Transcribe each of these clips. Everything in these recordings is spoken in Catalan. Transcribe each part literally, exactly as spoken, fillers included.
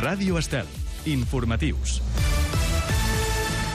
Ràdio Estel. Informatius.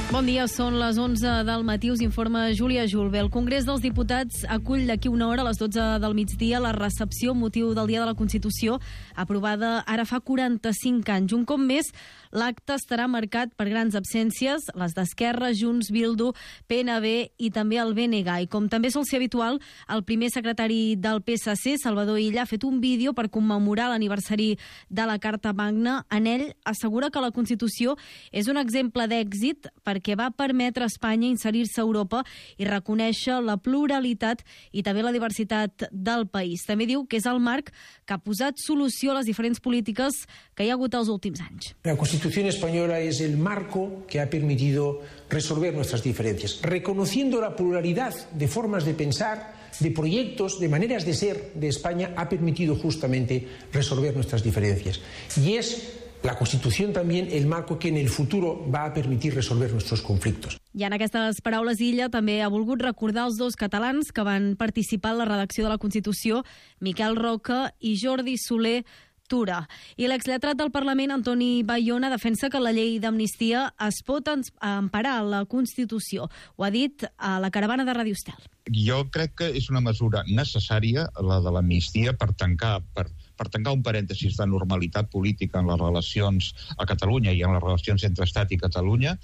Bon dia, són les onze del matí, us informa Júlia Julve. El Congrés dels Diputats acull d'aquí una hora a les dotze del migdia la recepció motiu del Dia de la Constitució, aprovada ara fa quaranta-cinc anys. Un cop més, l'acte estarà marcat per grans absències, les d'Esquerra, Junts, Bildu, P N B i també el B N G. I com també sol ser habitual, el primer secretari del P S C, Salvador Illa, ha fet un vídeo per commemorar l'aniversari de la Carta Magna. En ell assegura que la Constitució és un exemple d'èxit perquè va permetre a Espanya inserir-se a Europa i reconèixer la pluralitat i també la diversitat del país. També diu que és el marc que ha posat solució a les diferents polítiques que hi ha hagut els últims anys. La Constitución española es el marco que ha permitido resolver nuestras diferencias, reconociendo la pluralidad de formas de pensar, de proyectos, de maneras de ser de España, ha permitido justamente resolver nuestras diferencias. Y es la Constitución también el marco que en el futuro va a permitir resolver nuestros conflictos. I en aquestes paraules Illa també ha volgut recordar els dos catalans que van participar en la redacció de la Constitució, Miquel Roca i Jordi Soler Tura. I l'exlletrat del Parlament, Antoni Bayona, defensa que la llei d'amnistia es pot emparar a la Constitució. Ho ha dit a la caravana de Ràdio Estel. Jo crec que és una mesura necessària, la de l'amnistia, per tancar per, per tancar un parèntesis de normalitat política en les relacions a Catalunya i en les relacions entre Estat i Catalunya,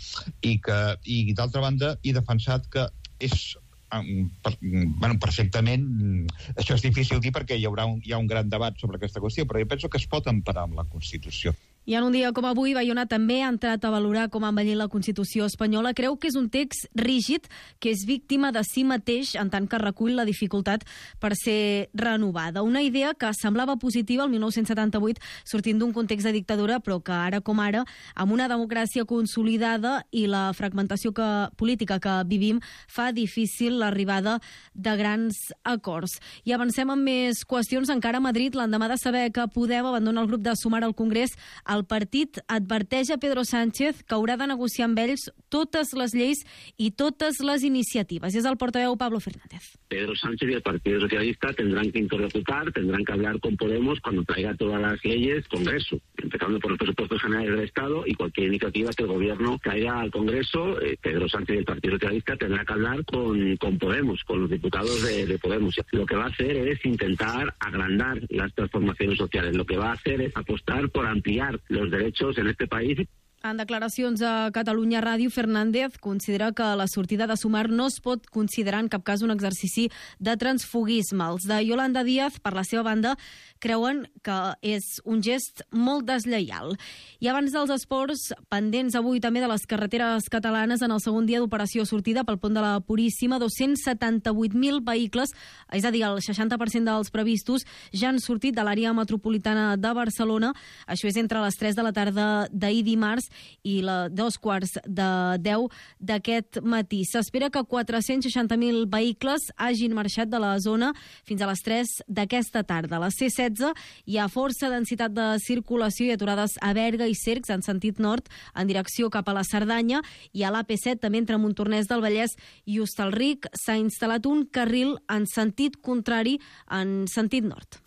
i que, i d'altra banda, he defensat que és Per, bueno, perfectament, això és difícil dir perquè hi haurà un, hi ha un gran debat sobre aquesta qüestió, però jo penso que es pot emparar amb la Constitució. I en un dia com avui, Bayona també ha entrat a valorar com ha envellit la Constitució espanyola. Creu que és un text rígid, que és víctima de si mateix, en tant que recull la dificultat per ser renovada. Una idea que semblava positiva el mil nou-cents setanta-vuit, sortint d'un context de dictadura, però que ara com ara, amb una democràcia consolidada i la fragmentació que, política que vivim, fa difícil l'arribada de grans acords. I avancem amb més qüestions. Encara a Madrid, l'endemà de saber que Podem abandona el grup de Sumar al Congrés, el partit adverteix a Pedro Sánchez que haurà de negociar amb ells totes les lleis i totes les iniciatives. És el portaveu Pablo Fernández. Pedro Sánchez y el Partido Socialista tendrán que interlocutar, tendrán que hablar con Podemos cuando traiga todas las leyes al Congreso, empezando por los presupuestos generales del Estado y cualquier iniciativa que el Gobierno traiga al Congreso. eh, Pedro Sánchez y el Partido Socialista tendrá que hablar con, con Podemos, con los diputados de, de Podemos. Lo que va a hacer es intentar agrandar las transformaciones sociales. Lo que va a hacer es apostar por ampliar los derechos en este país. En declaracions a Catalunya Ràdio, Fernández considera que la sortida de Sumar no es pot considerar en cap cas un exercici de transfugisme. Els de Yolanda Díaz, per la seva banda, creuen que és un gest molt deslleial. I abans dels esports, pendents avui també de les carreteres catalanes, en el segon dia d'operació sortida pel pont de la Puríssima, dos-cents setanta-vuit mil vehicles, és a dir, el seixanta per cent dels previstos, ja han sortit de l'àrea metropolitana de Barcelona. Això és entre les tres de la tarda d'ahir dimarts i la dos quarts de deu d'aquest matí. S'espera que quatre-cents seixanta mil vehicles hagin marxat de la zona fins a les tres d'aquesta tarda. A la C setze hi ha força densitat de circulació i aturades a Berga i Cercs en sentit nord en direcció cap a la Cerdanya, i a l'A P set també entre Montornès del Vallès i Hostalric s'ha instal·lat un carril en sentit contrari en sentit nord.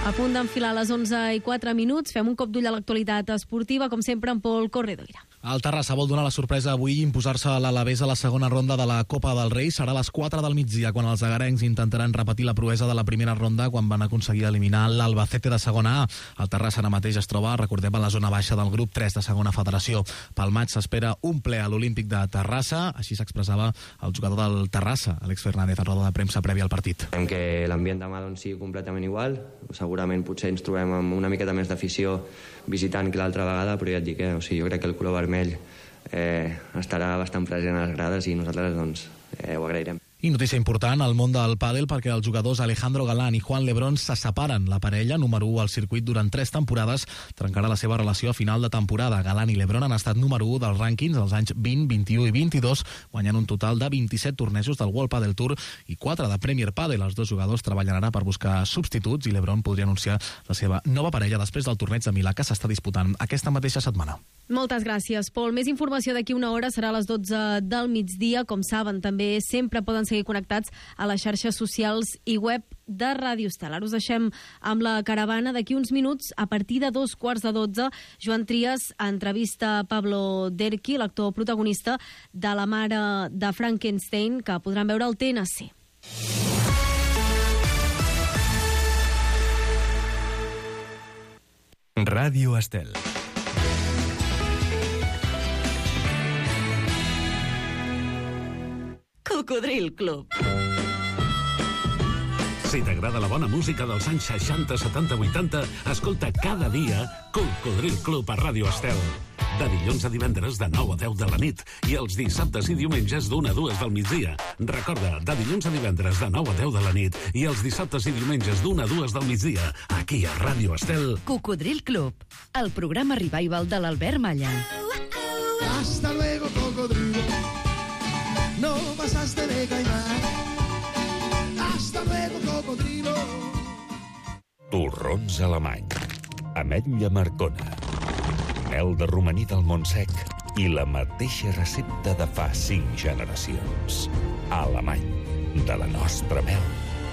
A punt d'enfilar les onze i quatre minuts, fem un cop d'ull a l'actualitat esportiva, com sempre, amb Pol Corredoira. El Terrassa vol donar la sorpresa avui i imposar-se a l'Alavés a la segona ronda de la Copa del Rei. Serà a les quatre del migdia, quan els agarencs intentaran repetir la proesa de la primera ronda, quan van aconseguir eliminar l'Albacete de segona A. El Terrassa ara mateix es troba, recordem, a la zona baixa del grup tres de segona federació. Pel maig s'espera un ple a l'Olímpic de Terrassa, així s'expressava el jugador del Terrassa, Àlex Fernández, a roda de premsa prèvia al partit. Esperem que l'ambient demà doncs, sigui completament igual. Segurament potser ens trobem amb una miqueta més d'afició visitant que l'altra vegada, però ja et dic que eh? o sigui, jo crec que el color vermell eh, estarà bastant present a les grades i nosaltres doncs, eh, ho agrairem. I notícia important al món del pàdel, perquè els jugadors Alejandro Galán i Juan Lebrón se separen. La parella, número u al circuit durant tres temporades, trencarà la seva relació a final de temporada. Galán i Lebrón han estat número u dels rànquings els anys vint, vint-i-u i vint-i-dos, guanyant un total de vint-i-set tornejos del World Padel Tour i quatre de Premier Padel. Els dos jugadors treballen ara per buscar substituts i Lebrón podria anunciar la seva nova parella després del torneig de Milà que s'està disputant aquesta mateixa setmana. Moltes gràcies, Pol. Més informació d'aquí una hora serà a les dotze del migdia. Com saben, també sempre poden seguir seguir connectats a les xarxes socials i web de Ràdio Estel. Ara us deixem amb la caravana. D'aquí uns minuts, a partir de dos quarts de dotze, Joan Trias entrevista Pablo Derqui, l'actor protagonista de La mare de Frankenstein, que podran veure al T N C. Ràdio Estel. Cocodril Club. Si t'agrada la bona música dels anys seixanta, setanta, vuitanta, escolta cada dia Cocodril Club a Ràdio Estel. De dilluns a divendres de nou a deu de la nit i els dissabtes i diumenges d'una a dues del migdia. Recorda, de dilluns a divendres de nou a deu de la nit i els dissabtes i diumenges d'una a dues del migdia, aquí a Ràdio Estel. Cocodril Club, el programa revival de l'Albert Malla. Hasta luego, cocodrilo. No pasaste de caimán. Hasta luego, cocodrilo. Torrons alemany. Ametlla Marcona. Mel de romaní del Montsec i la mateixa recepta de fa cinc generacions. Alemany. De la nostra mel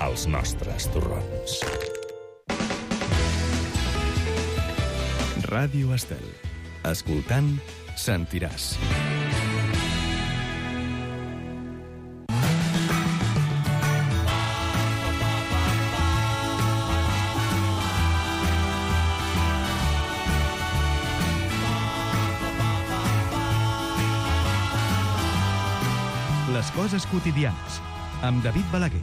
als nostres torrons. Ràdio Estel. Escoltant, sentiràs. Les coses quotidianes, amb David Balaguer.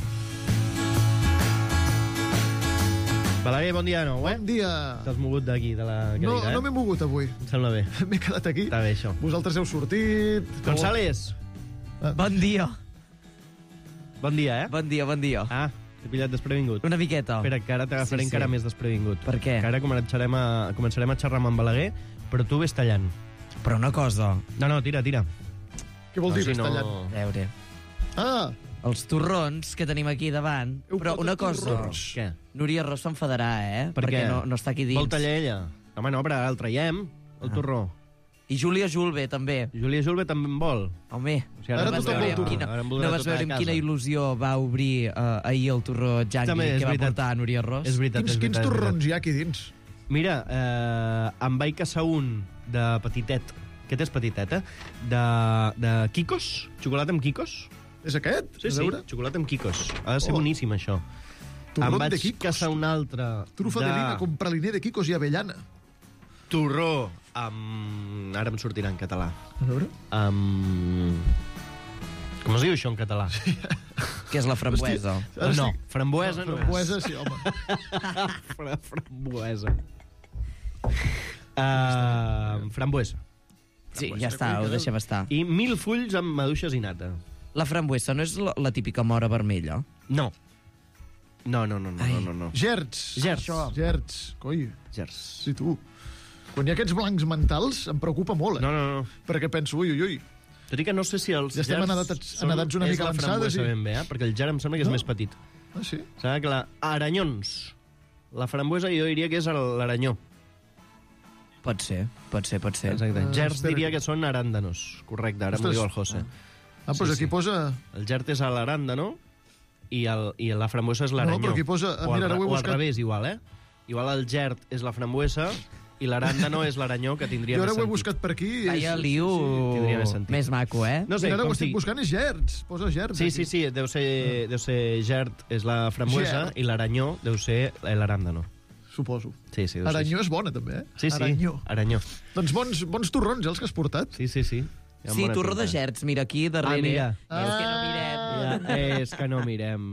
Balaguer, bon dia de nou, eh? Bon dia. T'has mogut d'aquí, de la No, cadira, eh? no m'he mogut avui. Em sembla bé. M'he quedat aquí. Està bé, això. Vosaltres heu sortit. González. Bon dia. Bon dia, eh? Bon dia, bon dia. Ah, t'he pillat desprevingut. Una miqueta. Espera, que ara t'agafaré Sí, sí. encara més desprevingut. Per què? Que ara començarem a, començarem a xerrar amb en Balaguer, però tu ves tallant. Però una cosa... No, no, tira, tira. Què vol No, dir, si ves no- tallant? A veure, Ah, els torrons que tenim aquí davant... Heu Però portat una cosa... torrons? Què? Núria Ros s'enfadarà, eh? Per Perquè què? no, no està aquí dins. Vol tallar ella? Home, no, però ara el traiem, el Ah. torró. I Júlia Julve, també. Júlia Julve també en vol. Home, O sigui, Ara no vas tothom veure vol amb torró. quina, Ara em voldrà no vas tota veure a amb casa. quina il·lusió va obrir uh, ahir el torró Jangui També és que va veritat. portar Núria Ros? És veritat, quins, és quins veritat. és torrons veritat. hi ha aquí dins? Mira, eh, em vaig caçar un de petitet. Aquest és petitet, eh? De, de Kikos, xocolata amb Kikos. És aquest? Sí, A sí, veure. xocolata amb Kikos. Ha de ser Oh. boníssim, això. Torrón em vaig de Kikos. caçar un altre Trufa de, de lina con praliné de quicos i avellana. torró amb... Ara em sortirà en català. A veure. Amb... Com es diu això en català? Que és la frambuesa. Ara no, estic- frambuesa no, Frambuesa, sí, home. és. Fra frambuesa. Uh, frambuesa. Sí, ja està, ho deixem estar. I mil fulls amb maduixes i nata. La frambuesa no és la, la típica mora vermella? No. No, no, no, no, Ai. no, no, no. Gerds. Gerds. Això. Gerds. Coi, Gerds. sí, tu. Quan hi ha aquests blancs mentals, em preocupa molt, eh? No, no, no. Perquè penso, ui, ui, ui. Tot i que no sé si els Ja estem gerds en edats- en són- edats una és mica la avançades frambuesa i- ben bé, eh? Perquè el gerd em sembla que és No? més petit. Ah, sí? Sembla que la... Aranyons. La frambuesa jo diria que és el- l'aranyó. Pot ser, pot ser, pot ser. Exacte. Ah, Gerds espera. diria que són aràndanos. Correcte, ara m'ho Ostres. diu el José. Ah, doncs Sí, aquí sí. posa... El gerd és l'aràndano i, el, i la frambuesa és l'aranyó. No, però aquí posa- O, mira, al, ara ho he o al buscat. revés, igual, eh? Igual el gerd és la frambuesa i l'aràndano és l'aranyó, que tindria Jo ara més ho he sentit. buscat per aquí. i Feia és- liu tindria més sentit. més maco, eh? No sé, Mira, ara ho com estic sigui. buscant, és gerds. Posa gerds. Sí, aquí. sí, sí, deu ser, deu ser gerd és la frambuesa Gerd. i l'aranyó deu ser l'aràndano. Suposo. Sí, sí, deu ser Aranyó així. és bona, també, eh? Sí, sí, Aranyó. aranyó. Doncs bons, bons torrons, eh, els que has portat. Sí, sí, sí. Hi ha Sí, bona torró pinta. de gerds, mira aquí darrere. Ah, mira. És que no mirem. Ja, és que no mirem.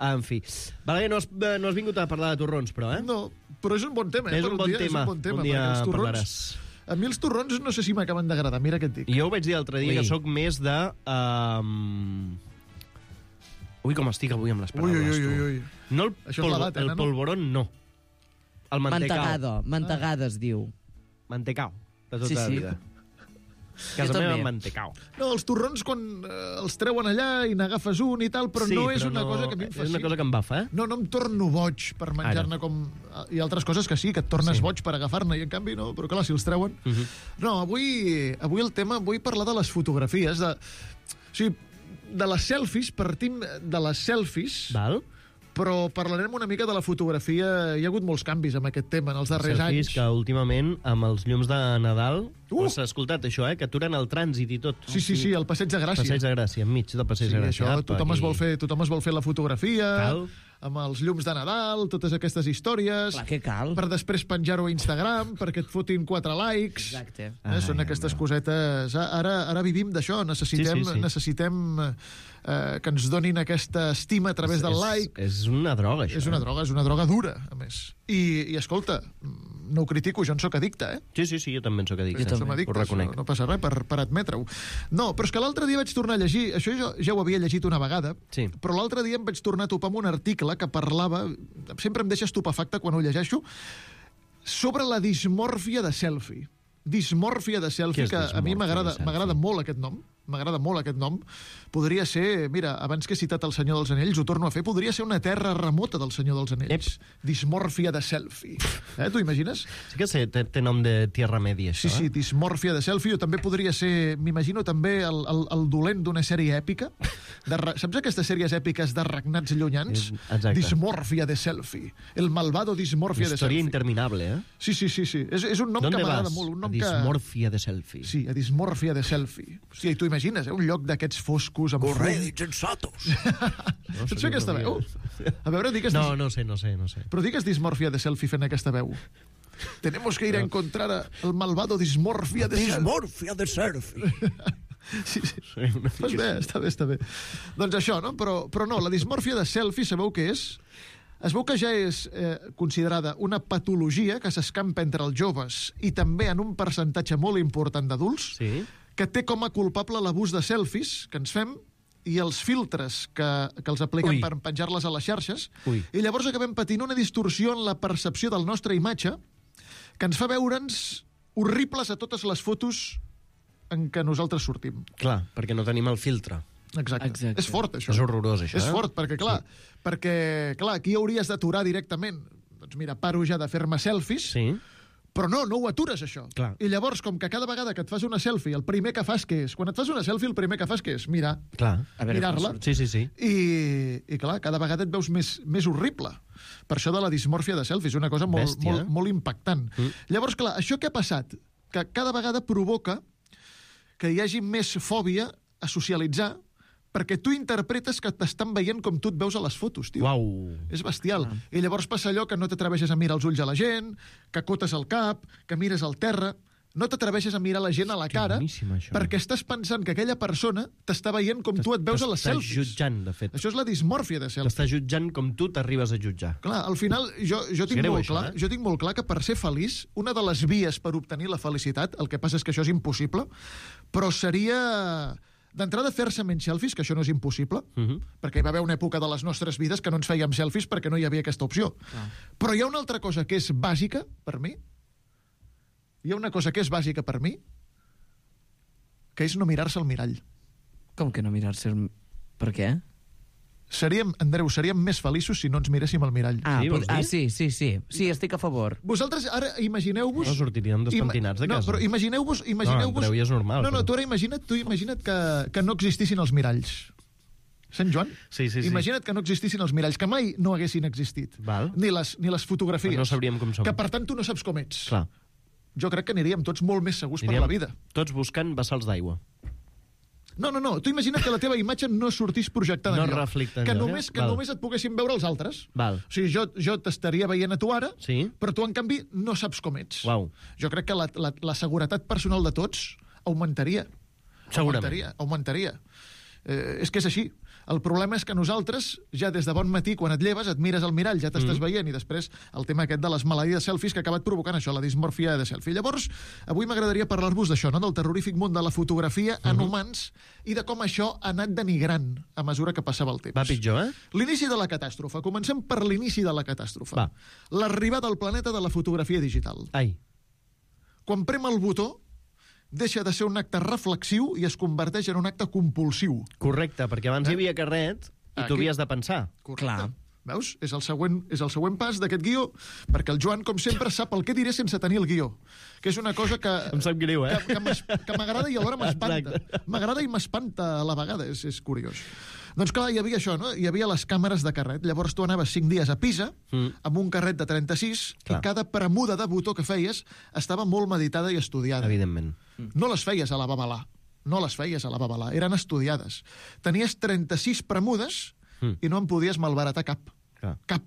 En fi. Balaguer, no has, eh, no has vingut a parlar de torrons, però, eh? No, però és un bon tema, eh? És per un bon dia, tema. És un bon tema, Un dia perquè els en torrons... parlaràs. A mi els torrons no sé si m'acaben d'agradar, mira què et dic. Jo ho vaig dir l'altre dia, Ui. que sóc més de... Um... Ui, com estic avui amb les Ui, paraules, ui, ui, ui, ui. tu. No el, Això és l'edat, eh, el nano? polvoron, no. El mantecao. Mantegada, mantegada es diu. Mantecao, de tota Sí, la sí. vida. Casa Jo meva, també. mantecao. No, els torrons quan eh, els treuen allà i n'agafes un i tal, però sí, no és però una no, cosa que a mi em És fascina. una cosa que em bafa, eh? No, no em torno boig per menjar-ne com... Hi ha altres coses que sí, que et tornes Sí. boig per agafar-ne, i en canvi no, però clar, si els treuen... Uh -huh. No, avui, avui el tema, vull parlar de les fotografies, de... O sigui, de les selfies, partim de les selfies, Val. però parlarem una mica de la fotografia. Hi ha hagut molts canvis amb aquest tema en els darrers Selfies anys. que últimament, amb els llums de Nadal, uh! has escoltat això, eh? Que aturen el trànsit i tot. Sí, sí, sí, el Passeig de Gràcia. Passeig de Gràcia, enmig del Passeig Sí, de Gràcia. això, Apa, tothom es, aquí. vol fer, tothom es vol fer la fotografia, Cal. amb els llums de Nadal, totes aquestes històries. Clar, què cal? Per després penjar-ho a Instagram, perquè et fotin quatre likes. Exacte. Eh, són Ai, aquestes home. cosetes. Ara, ara vivim d'això. Necessitem, Sí, sí, sí. necessitem eh, que ens donin aquesta estima a través del és, like. És una droga, això. És una droga, és una droga dura, a més. I, i escolta, no ho critico, jo en sóc addicte, eh? Sí, sí, sí, jo també en sóc addicte. Jo som addictes, Ho reconec. no, no passa res per, per admetre-ho. No, però és que l'altre dia vaig tornar a llegir, això jo ja ho havia llegit una vegada, sí. però l'altre dia em vaig tornar a topar amb un article que parlava, sempre em deixa estupefacte quan ho llegeixo, sobre la dismòrfia de selfie. Dismòrfia de selfie, Què és que a mi dismòrfia m'agrada de selfie? m'agrada molt aquest nom. M'agrada molt aquest nom. Podria ser, mira, abans que he citat El Senyor dels Anells, ho torno a fer, podria ser una terra remota del Senyor dels Anells. Ep. Dismòrfia de selfie. Eh, t'ho imagines? Sí que sé, té, té nom de Tierra Media, això, Sí, sí, dismòrfia de selfie, o també podria ser, m'imagino també el, el, el dolent d'una sèrie èpica. De, saps aquestes sèries èpiques de regnats llunyans? Exacte. Dismòrfia de selfie. El malvado dismòrfia de Història selfie. interminable, eh? Sí, sí, sí, sí. És, és un nom ¿Dónde que m'agrada vas? molt. Un nom A dismòrfia de selfie. Que... Sí, a dismòrfia de selfie. Hòstia, i tu imagines, eh? Un lloc d'aquests foscos amb Corrèdits insensatos. No, Saps fer aquesta veu? A veure, digues... No, no sé, no sé, no sé. Però digues dismòrfia de selfie fent aquesta veu. Tenemos que ir a encontrar a el malvado dismòrfia de selfie. Dismòrfia de selfie. Sí, sí. Pues bé, està bé, està bé. Doncs això, no? Però, però no, la dismòrfia de selfie, sabeu què és? Es veu que ja és eh, considerada una patologia que s'escampa entre els joves i també en un percentatge molt important d'adults, sí. que té com a culpable l'abús de selfies que ens fem i els filtres que, que els apliquen Ui. per penjar-les a les xarxes. Ui. I llavors acabem patint una distorsió en la percepció del nostre imatge que ens fa veure'ns horribles a totes les fotos en què nosaltres sortim. Clar, perquè no tenim el filtre. Exacte. Exacte. És fort, això. És horrorós, això, És eh? fort, perquè, clar, Sí. perquè, clar, aquí hauries d'aturar directament. Doncs mira, paro ja de fer-me selfies, Sí. però no, no ho atures, això. Clar. I llavors, com que cada vegada que et fas una selfie, el primer que fas què és? Quan et fas una selfie, el primer que fas què és? Mirar, Clar. mirar-la. Sí, sí, sí. I, I, clar, cada vegada et veus més, més horrible. Per això de la dismòrfia de selfies, una cosa molt, Bèstia, molt, eh? molt impactant. Mm. Llavors, clar, això què ha passat? Que cada vegada provoca que hi hagi més fòbia a socialitzar, perquè tu interpretes que t'estan veient com tu et veus a les fotos, tio. Uau. És bestial. Ah. I llavors passa allò que no t'atreveixes a mirar els ulls a la gent, que acotes el cap, que mires al terra... No t'atreveixes a mirar la gent a la cara boníssim, això. perquè estàs pensant que aquella persona t'està veient com tu et veus a les T'està selfies. jutjant, de fet. Això és la dismòrfia de selfie. T'està jutjant com tu t'arribes a jutjar. Clar, al final, jo, jo, tinc greu, molt això, clar, eh? jo tinc molt clar que per ser feliç, una de les vies per obtenir la felicitat, el que passa és que això és impossible, però seria d'entrada fer-se menys selfies, que això no és impossible, Uh -huh. perquè hi va haver una època de les nostres vides que no ens fèiem selfies perquè no hi havia aquesta opció. Ah. Però hi ha una altra cosa que és bàsica per mi, hi ha una cosa que és bàsica per mi, que és no mirar-se al mirall. Com que no mirar-se el... Per què? Seríem, Andreu, seríem més feliços si no ens miréssim al mirall. Ah, Sí, vols ah dir? sí, sí, sí. Sí, estic a favor. Vosaltres ara imagineu-vos... No sortiríem despentinats de Ima- casa. No, però imagineu-vos... No, Imagineu Andreu, ja és normal, No, no, però- tu ara imagina't, tu imagina't que, que no existissin els miralls. Sant Joan? Sí, sí, sí. Imagina't que no existissin els miralls, que mai no haguessin existit. Val. Ni les, ni les fotografies. Però no sabríem com som. Que, per tant, tu no saps com ets. Clar. Jo crec que aniríem tots molt més segurs Aniríem per la vida. Tots buscant vessals d'aigua. No, no, no. Tu imagina't que la teva imatge no sortís projectada No enlloc. reflecta Que, enlloc, només, eh? que Val. només et poguessin veure els altres. Val. O sigui, jo, jo t'estaria veient a tu ara, Sí. però tu, en canvi, no saps com ets. Uau. Jo crec que la, la, la seguretat personal de tots augmentaria. Segurament. Augmentaria, augmentaria. Eh, és que és així. El problema és que nosaltres, ja des de bon matí, quan et lleves, et mires al mirall, ja t'estàs Mm. veient, i després el tema aquest de les malalties de selfies que ha acabat provocant això, la dismòrfia de selfie. Llavors, avui m'agradaria parlar-vos d'això, no? Del terrorífic món de la fotografia en Mhm. humans i de com això ha anat denigrant a mesura que passava el temps. Va pitjor, eh? L'inici de la catàstrofe. Comencem per l'inici de la catàstrofe. Va. L'arribada al planeta de la fotografia digital. Ai. Quan prem el botó, deixa de ser un acte reflexiu i es converteix en un acte compulsiu. Correcte, perquè abans Eh? hi havia carret i Aquí. tu havies de pensar. Correcte. Clar. Veus? És el següent, és el següent pas d'aquest guió, perquè el Joan, com sempre, sap el que diré sense tenir el guió, que és una cosa que... Em sap greu, eh? Que, que m'agrada i alhora m'espanta. M'agrada i m'espanta a la vegada, és, és curiós. Doncs clar, hi havia això, no? Hi havia les càmeres de carret. Llavors tu anaves cinc dies a Pisa, mm. amb un carret de trenta-sis, clar. I cada premuda de botó que feies estava molt meditada i estudiada. Evidentment. No les feies a la babalà. No les feies a la babalà. Eren estudiades. Tenies trenta-sis premudes mm. i no en podies malbaratar cap. Clar. Cap.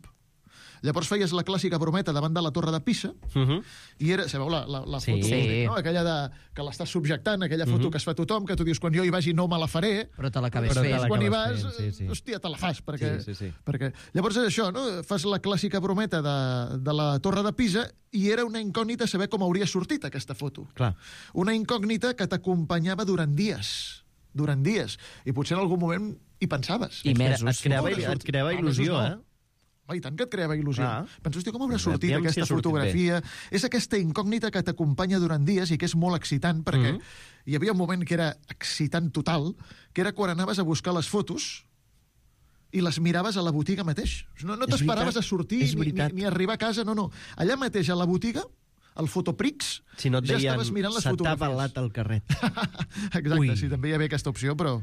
Llavors feies la clàssica brometa davant de la torre de Pisa, uh -huh. i era, sabeu, la, la, la sí. foto, Sí. no? Aquella de, que l'estàs subjectant, aquella foto uh -huh. que es fa tothom, que tu dius, quan jo hi vagi no me la faré, però te l'acabes fent. fent. Quan hi vas, sí, sí. hòstia, te la fas, perquè, Sí, sí, sí. perquè... Llavors és això, no? Fas la clàssica brometa de, de la torre de Pisa i era una incògnita saber com hauria sortit aquesta foto. Clar. Una incògnita que t'acompanyava durant dies. Durant dies. I potser en algun moment hi pensaves. I mesos. Et creava, et creava il·lusió, no. eh? Home, i tant que et creava il·lusió. Ah. Penso, hòstia, com haurà sortit Aviam aquesta si ha sortit fotografia? És aquesta incògnita que t'acompanya durant dies i que és molt excitant, perquè Mm -hmm. hi havia un moment que era excitant total, que era quan anaves a buscar les fotos i les miraves a la botiga mateix. No, no t'esperaves a sortir ni, ni, ni arribar a casa, no, no. Allà mateix, a la botiga, al Fotoprix, si no et ja deien, estaves mirant les se t'ha fotografies. balat el carret. Exacte, Ui. sí, també hi havia aquesta opció, però...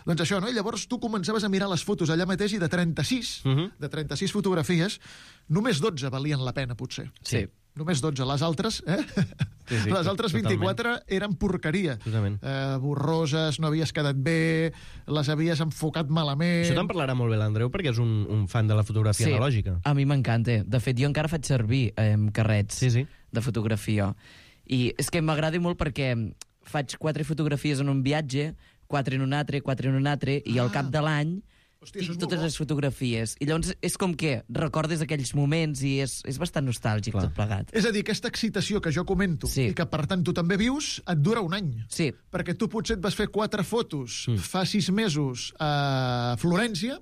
Doncs això, no? I llavors tu començaves a mirar les fotos allà mateix i de trenta-sis, uh -huh. de trenta-sis fotografies, només dotze valien la pena, potser. Sí. Només dotze. Les altres, eh? Sí, sí, les altres vint-i-quatre totalment. eren porqueria. Totalment. Eh, borroses, no havies quedat bé, les havies enfocat malament... Això te'n parlarà molt bé l'Andreu, perquè és un, un fan de la fotografia Sí, analògica. a mi m'encanta. De fet, jo encara faig servir eh, carrets Sí, sí. de fotografia. I és que m'agrada molt perquè faig quatre fotografies en un viatge, quatre en un altre, quatre en un altre, i al cap de l'any Hòstia, això és tinc molt totes bo. les fotografies. I llavors és com que recordes aquells moments i és, és bastant nostàlgic Clar. tot plegat. És a dir, aquesta excitació que jo comento Sí. i que, per tant, tu també vius, et dura un any. Sí. Perquè tu potser et vas fer quatre fotos Mm. fa sis mesos a Florència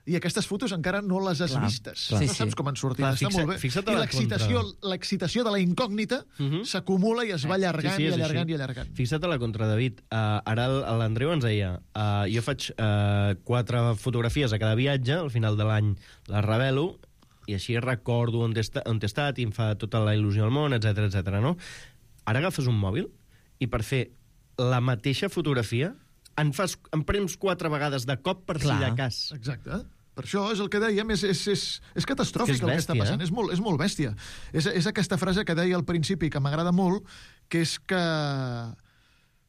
i aquestes fotos encara no les has Clar, vistes. clar. No Sí, saps sí. com han sortit. Clar, Està fixa- molt bé. fixa't a I la l'excitació contra. l'excitació de la incògnita Mhm. s'acumula i es va allargant Sí, sí, i és allargant així. i allargant. Fixa't a la contra, David. Uh, ara el- l'Andreu ens deia uh, jo faig uh, quatre fotografies a cada viatge, al final de l'any les revelo, i així recordo on he, esta, on he estat i em fa tota la il·lusió al món, etc etc. no? Ara agafes un mòbil i per fer la mateixa fotografia en, fas, en prems quatre vegades de cop per Clar. si de cas. Exacte. Per això és el que dèiem, és, és, és, és catastròfic És que és el que està bèstia, passant, eh? és, molt, és molt bèstia. És, és aquesta frase que deia al principi, que m'agrada molt, que és que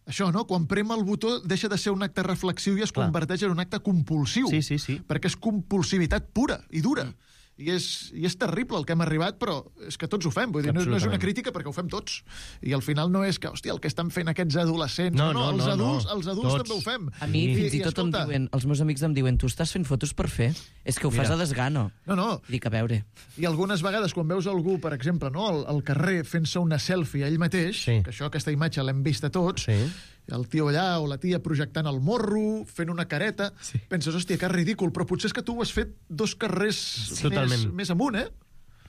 això, no? Quan prem el botó deixa de ser un acte reflexiu i es Clar. converteix en un acte compulsiu. Sí, sí, sí. Perquè és compulsivitat pura i dura. Mm. I és, I és terrible el que hem arribat, però és que tots ho fem. Vull dir, no, no és una Absolutament. crítica perquè ho fem tots. I al final no és que, hòstia, el que estan fent aquests adolescents... No, no, no, els no, adults, no. els adults Tots. també ho fem. A mi I, fins i, tot em escolta, diuen, els meus amics em diuen, tu estàs fent fotos per fer? És que ho fas Mira. a desgano. No, no. I dic, a veure... I algunes vegades, quan veus algú, per exemple, no, al, al carrer fent-se una selfie a ell mateix, Sí. que això, aquesta imatge l'hem vista tots, Sí. el tio allà o la tia projectant el morro, fent una careta, Sí. penses, hòstia, que ridícul, però potser és que tu ho has fet dos carrers Totalment. més, més amunt, eh?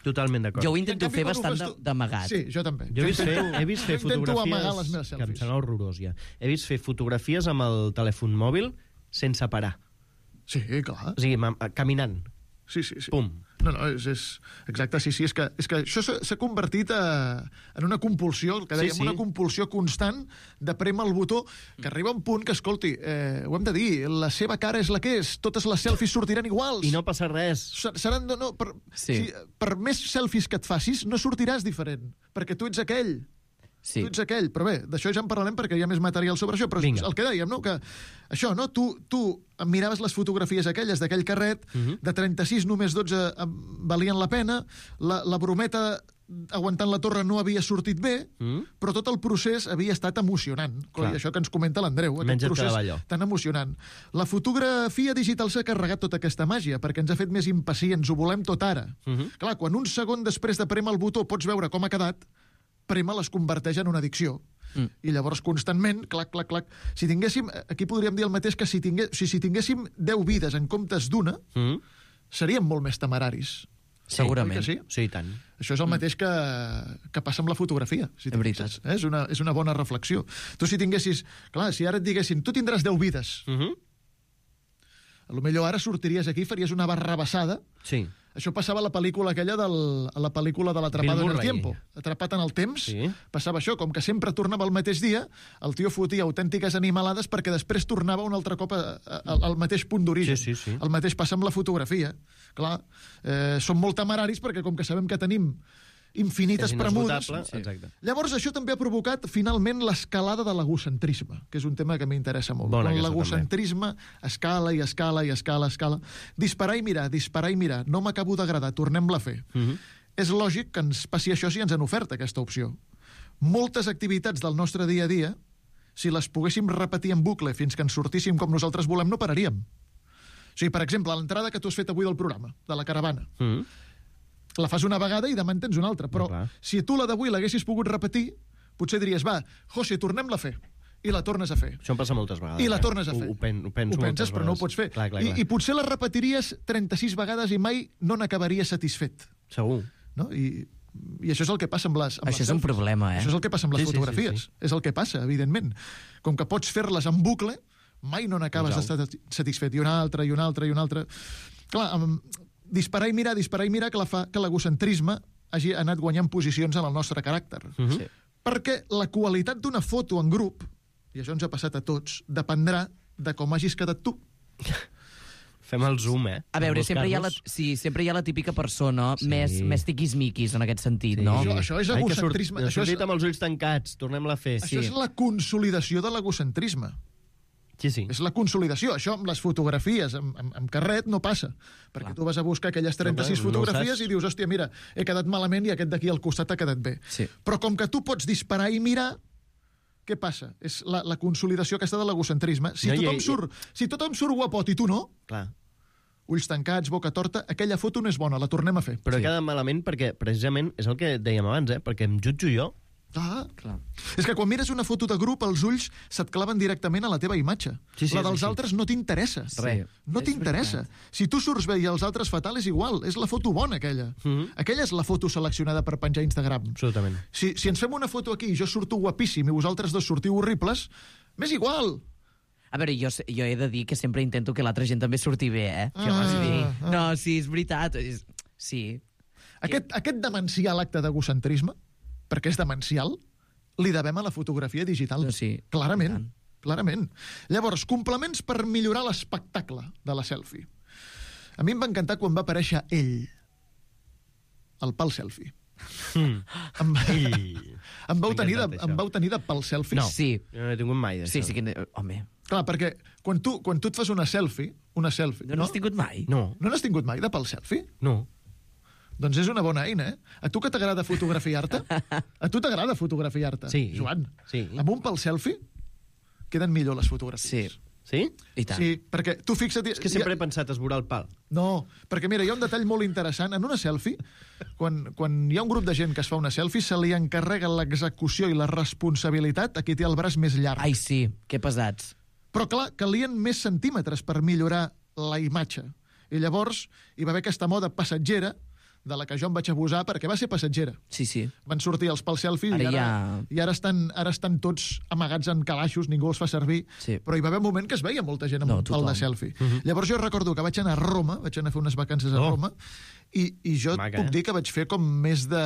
Totalment d'acord. Jo ho I en intento canvi, fer quan ho bastant fas de- tu- d'amagat. Sí, jo també. Jo he vist fer, he vist fer jo intento fotografies amagar les meves que em selfies. sembla horrorós, ja. He vist fer fotografies amb el telèfon mòbil sense parar. Sí, clar. O sigui, ma- caminant. Sí, sí, sí. Pum. No, no, és, és... Exacte, sí, sí, és que, és que això s'ha s'ha convertit a, en una compulsió, el que Sí, dèiem, sí. una compulsió constant de prémer el botó, que arriba un punt que, escolti, eh, ho hem de dir, la seva cara és la que és, totes les selfies sortiran iguals. I no passa res. Se- Seran, no, no, per, Sí. si, per més selfies que et facis, no sortiràs diferent, perquè tu ets aquell. Sí. Tu ets aquell, però bé, d'això ja en parlarem perquè hi ha més material sobre això, però Vinga. el que dèiem, no?, que això, no?, tu, tu miraves les fotografies aquelles d'aquell carret, Uh -huh. de trenta-sis només dotze em, valien la pena, la, la brometa aguantant la torre no havia sortit bé, Mm? però tot el procés havia estat emocionant. Clar. I això que ens comenta l'Andreu, aquest Menys et procés quedava allò. tan emocionant. La fotografia digital s'ha carregat tota aquesta màgia, perquè ens ha fet més impacients, ho volem tot ara. Uh -huh. Clar, quan un segon després de prémer el botó pots veure com ha quedat, prémer les converteix en una addicció. Mm. I llavors, constantment, clac, clac, clac... Si tinguéssim, aquí podríem dir el mateix que si, tingué, si, si tinguéssim deu vides en comptes d'una, Mm? seríem molt més temeraris. Segurament. Oi que sí? Sí, i tant. Això és el mateix que, que passa amb la fotografia. Si És veritat. fixes, eh? és, una, és una bona reflexió. Tu si tinguessis... Clar, si ara et diguessin, tu tindràs deu vides, Uh -huh. A lo millor ara sortiries aquí i faries una barrabassada. Sí. Això passava a la pel·lícula aquella del, a la pel·lícula de l'Atrapado en el Tiempo. Atrapat en el temps, sí. Passava això, com que sempre tornava el mateix dia, el tio fotia autèntiques animalades perquè després tornava un altre cop a, a, a, al mateix punt d'origen. Sí, sí, sí. El mateix passa amb la fotografia. Clar, eh, som molt temeraris perquè com que sabem que tenim infinites premudes. Sí. Llavors això també ha provocat finalment l'escalada de l'egocentrisme, que és un tema que m'interessa molt. Bona, Quan l'egocentrisme escala i escala i escala, escala. Disparar i mirar, disparar i mirar. No m'acabo d'agradar, tornem-la a fer. Uh -huh. És lògic que ens passi això si ens han ofert aquesta opció. Moltes activitats del nostre dia a dia, si les poguéssim repetir en bucle fins que ens sortíssim com nosaltres volem, no pararíem. O sigui, per exemple, l'entrada que tu has fet avui del programa, de la caravana, uh -huh. la fas una vegada i demà en tens una altra. Però no, si tu la d'avui l'haguessis pogut repetir, potser diries, va, José, tornem-la a fer. I la tornes a fer. Això em passa moltes vegades. I la tornes a fer. Ho, ho, pen, ho penso ho penses, però no ho vegades. pots fer. Clar, clar, clar. I, I potser la repetiries trenta-sis vegades i mai no n'acabaries satisfet. Segur. No? I, I això és el que passa amb les amb Això les és un selfies. problema, eh? Això és el que passa amb les sí, fotografies. Sí, sí, sí. És el que passa, evidentment. Com que pots fer-les en bucle, mai no n'acabes d'estar satisfet. I una altra, i una altra, i una altra. Clar, amb disparar i mirar, disparar i mirar, que, la fa, que l'egocentrisme hagi anat guanyant posicions en el nostre caràcter. Uh -huh. sí. Perquè la qualitat d'una foto en grup, i això ens ha passat a tots, dependrà de com hagis quedat tu. Fem el zoom, eh? A veure, sempre hi, ha la, sí, sempre hi ha la típica persona sí. més, més tiquismiquis en aquest sentit, sí. no? Això, això és egocentrisme. Ai, això és... és... amb els ulls tancats, tornem-la a fer. Això sí. és la consolidació de l'egocentrisme. Sí, sí. És la consolidació. Això amb les fotografies, amb, amb, amb carret, no passa. Perquè Clar. tu vas a buscar aquelles trenta-sis no, fotografies no i dius, hòstia, mira, he quedat malament i aquest d'aquí al costat ha quedat bé. Sí. Però com que tu pots disparar i mirar, què passa? És la, la consolidació aquesta de l'egocentrisme. Si, no, tothom i, surt, si tothom surt guapot i tu no, Clar. ulls tancats, boca torta, aquella foto no és bona, la tornem a fer. Però sí. ha quedat malament perquè, precisament, és el que dèiem abans, eh? perquè em jutjo jo. Ah, clar. És que quan mires una foto de grup, els ulls se't claven directament a la teva imatge. Sí, sí, la dels sí, sí. altres no t'interessa. Res. No t'interessa. Si tu surts bé i els altres fatal, és igual. És la foto bona, aquella. Uh -huh. Aquella és la foto seleccionada per penjar a Instagram. Absolutament. Si, si ens fem una foto aquí i jo surto guapíssim i vosaltres dos sortiu horribles, m'és igual. A veure, jo, jo he de dir que sempre intento que l'altra gent també surti bé, eh? Ah, que vas dir. ah. No, sí, és veritat. És... Sí. Aquest, aquest demencial acte d'egocentrisme, perquè és demencial, li devem a la fotografia digital. No, sí. Clarament, clarament. Llavors, complements per millorar l'espectacle de la selfie. A mi em va encantar quan va aparèixer ell, el pal selfie. Mm. Em, em, vau tenir de, em vau tenir de pal selfie? No, sí. jo no he tingut mai d'això. Sí, sí que... Home... Clar, perquè quan tu, quan tu et fas una selfie, una selfie... No n'has tingut mai? No. No n'has tingut mai de pal selfie? No. Doncs és una bona eina, eh? A tu que t'agrada fotografiar-te? A tu t'agrada fotografiar-te, sí. Joan? Sí. Amb un pal selfie queden millor les fotografies. Sí. Sí? I tant. Sí, perquè tu fixa't... És que sempre he pensat esvorar el pal. No, perquè mira, hi ha un detall molt interessant. En una selfie, quan, quan hi ha un grup de gent que es fa una selfie, se li encarrega l'execució i la responsabilitat a qui té el braç més llarg. Ai, sí, que pesats. Però, clar, calien més centímetres per millorar la imatge. I llavors hi va haver aquesta moda passatgera de la que jo em vaig abusar perquè va ser passatgera. Sí, sí. Van sortir els pals selfie ara i, ara, ja... i ara, estan, ara estan tots amagats en calaixos, ningú els fa servir, sí. Però hi va haver un moment que es veia molta gent amb no, un pal de selfie. Uh -huh. Llavors jo recordo que vaig anar a Roma, vaig anar a fer unes vacances a oh. Roma, i, i jo Maca, puc eh? dir que vaig fer com més de...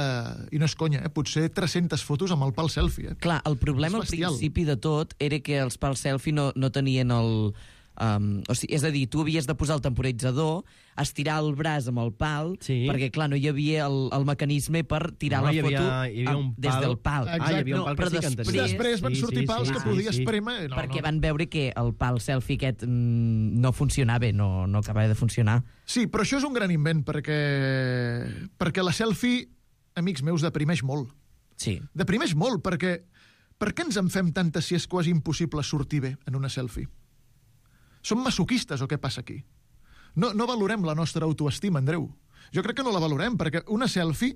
I no és conya, eh? Potser tres-centes fotos amb el pal selfie. Eh? Clar, el problema al principi de tot era que els pals selfie no, no tenien el... Um, o sigui, és a dir, tu havies de posar el temporitzador, estirar el braç amb el pal, sí. perquè, clar, no hi havia el, el mecanisme per tirar no, la hi havia, foto hi havia un pal. des del pal. Exacte. Ah, hi havia un pal no, que sí que després, entenia. Després van sí, sortir sí, pals sí, que sí, podies sí. prémer... No, perquè no. van veure que el pal selfie aquest mm, no funcionava, no, no acabava de funcionar. Sí, però això és un gran invent, perquè, perquè la selfie, amics meus, deprimeix molt. Sí. Deprimeix molt, perquè per què ens en fem tantes si és quasi impossible sortir bé en una selfie? Som masoquistes o què passa aquí? No, no valorem la nostra autoestima, Andreu. Jo crec que no la valorem, perquè una selfie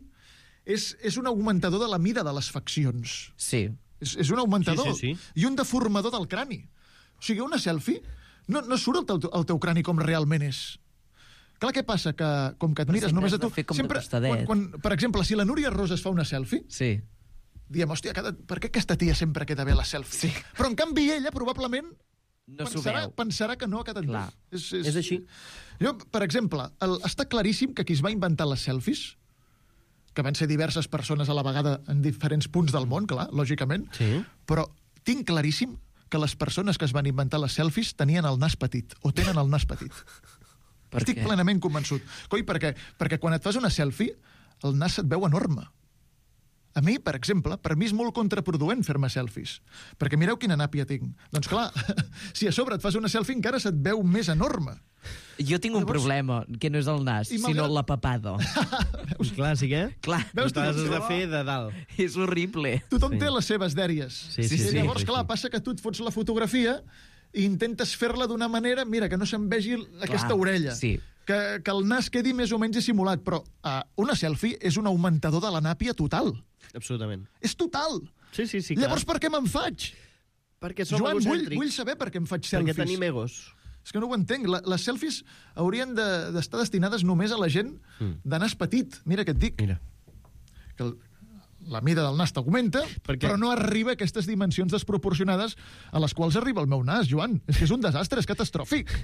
és, és un augmentador de la mida de les faccions. Sí. És, és un augmentador. Sí, sí, sí. I un deformador del crani. O sigui, una selfie no, no surt el teu, el teu crani com realment és. Clar, què passa? Que, com que et mires només a tu... Sempre, quan, quan, per exemple, si la Núria Rosa es fa una selfie, sí. diem, hòstia, cada, per què aquesta tia sempre queda bé a la selfie? Sí. Però, en canvi, ella probablement no s'ho pensarà, veu. pensarà que no a Catalunya. És, és... és així. Jo, per exemple, el, està claríssim que qui es va inventar les selfies, que van ser diverses persones a la vegada en diferents punts del món, clar, lògicament, sí. però tinc claríssim que les persones que es van inventar les selfies tenien el nas petit, o tenen el nas petit. Per Estic què? plenament convençut. Coi, perquè, perquè quan et fas una selfie, el nas se't veu enorme. A mi, per exemple, per mi és molt contraproduent fer-me selfies. Perquè mireu quina nàpia tinc. Doncs clar, si a sobre et fas una selfie encara se't veu més enorme. Jo tinc un Llavors- problema, que no és el nas, I sinó malgrat- la papada. És clàssic, eh? Clar. Veus tu? T'has de fer de dalt. És horrible. Tothom Sí. té les seves dèries. Sí, sí, I sí, llavors, sí, clar, sí. passa que tu et fots la fotografia i intentes fer-la d'una manera, mira, que no se'n vegi aquesta orella. sí. Que, que el nas quedi més o menys dissimulat. Però uh, una selfie és un augmentador de la nàpia total. Absolutament. És total. Sí, sí, sí, Llavors, clar. per què me'n faig? Perquè som Joan, vull, egocèntrics. vull saber per què em faig Perquè selfies. tenim egos. És que no ho entenc. La, les selfies haurien de- d'estar de, destinades només a la gent Mm. de nas petit. Mira què et dic. Mira. Que el, la mida del nas t'augmenta, Perquè- però no arriba a aquestes dimensions desproporcionades a les quals arriba el meu nas, Joan. És que és un desastre, és catastròfic.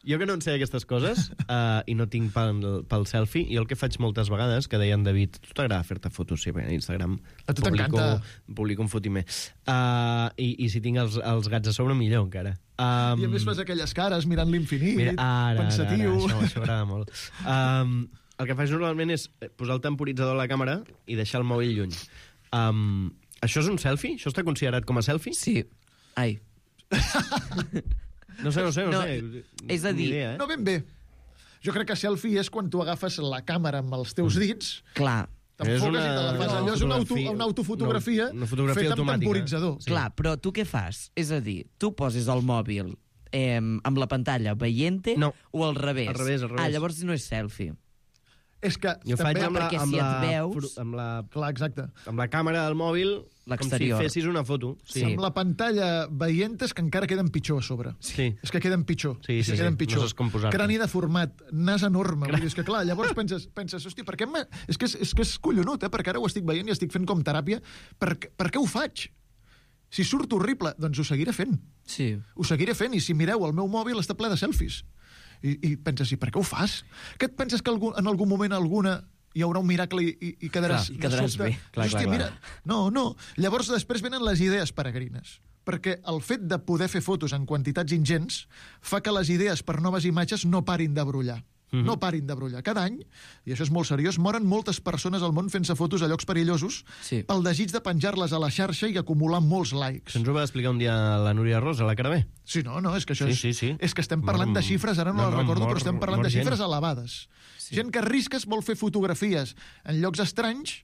Jo que no en sé aquestes coses uh, i no tinc pel, pel selfie, jo el que faig moltes vegades, que deia en David, tu t'agrada fer-te fotos, sí, bé, a Instagram A tu publico, t'encanta. publico un fotimer. Uh, i, I si tinc els, els gats a sobre, millor encara. Um, I a més fas aquelles cares mirant l'infinit, Mira, ara, ara, pensatiu... ara, això, això agrada molt. Um, el que faig normalment és posar el temporitzador a la càmera i deixar el mòbil lluny. Um, això és un selfie? Això està considerat com a selfie? Sí. Ai. No sé, no sé, no, No, sé. és a Ni dir- idea, eh? No ben bé. Jo crec que selfie és quan tu agafes la càmera amb els teus dits, Clar. t'enfoques És una- i te la fas. una Allò és una, auto, fotografia- una autofotografia, una- una fotografia feta amb automàtica. temporitzador. Sí. Clar, però tu què fas? És a dir, tu poses el mòbil eh, amb la pantalla veient-te No. o al revés? Al revés, al revés. Ah, llavors no és selfie. És que Jo faig també... amb la, perquè amb, si et la, veus- fru- amb, la, Clar, exacte. amb la càmera del mòbil com si L'exterior. fessis una foto. Sí. Sí. Amb la pantalla veient és que encara queden pitjor a sobre. Sí. És que queden pitjor. Sí, és sí, que queden sí. pitjor. No saps com posar-te. Crani deformat, nas enorme. Vull dir, és que clar, llavors penses, penses hosti, per què me... és, que és, és que és collonut, eh? Perquè ara ho estic veient i estic fent com teràpia. Per, què- per què ho faig? Si surt horrible, doncs ho seguiré fent. Sí. Ho seguiré fent, i si mireu, el meu mòbil està ple de selfies. I, i penses, i per què ho fas? Que et penses que algun, en algun moment alguna hi haurà un miracle i, i, i quedaràs... Clar, i quedaràs de sobte? bé. Clar, Hòstia, clar, mira... clar. No, no. Llavors després venen les idees peregrines. Perquè el fet de poder fer fotos en quantitats ingents fa que les idees per noves imatges no parin de brollar. Mhm. No parin de brollar. Cada any, i això és molt seriós, moren moltes persones al món fent-se fotos a llocs perillosos Sí. pel desig de penjar-les a la xarxa i acumular molts likes. Això ens ho va explicar un dia la Núria Rosa, a la Carabé. Sí, no, no, és que això Sí, és... sí, sí. És que estem parlant Mor- de xifres, ara no, no, les no, recordo, mor- però estem parlant mor de xifres gent. elevades. Sí. Gent que arrisca, vol fer fotografies en llocs estranys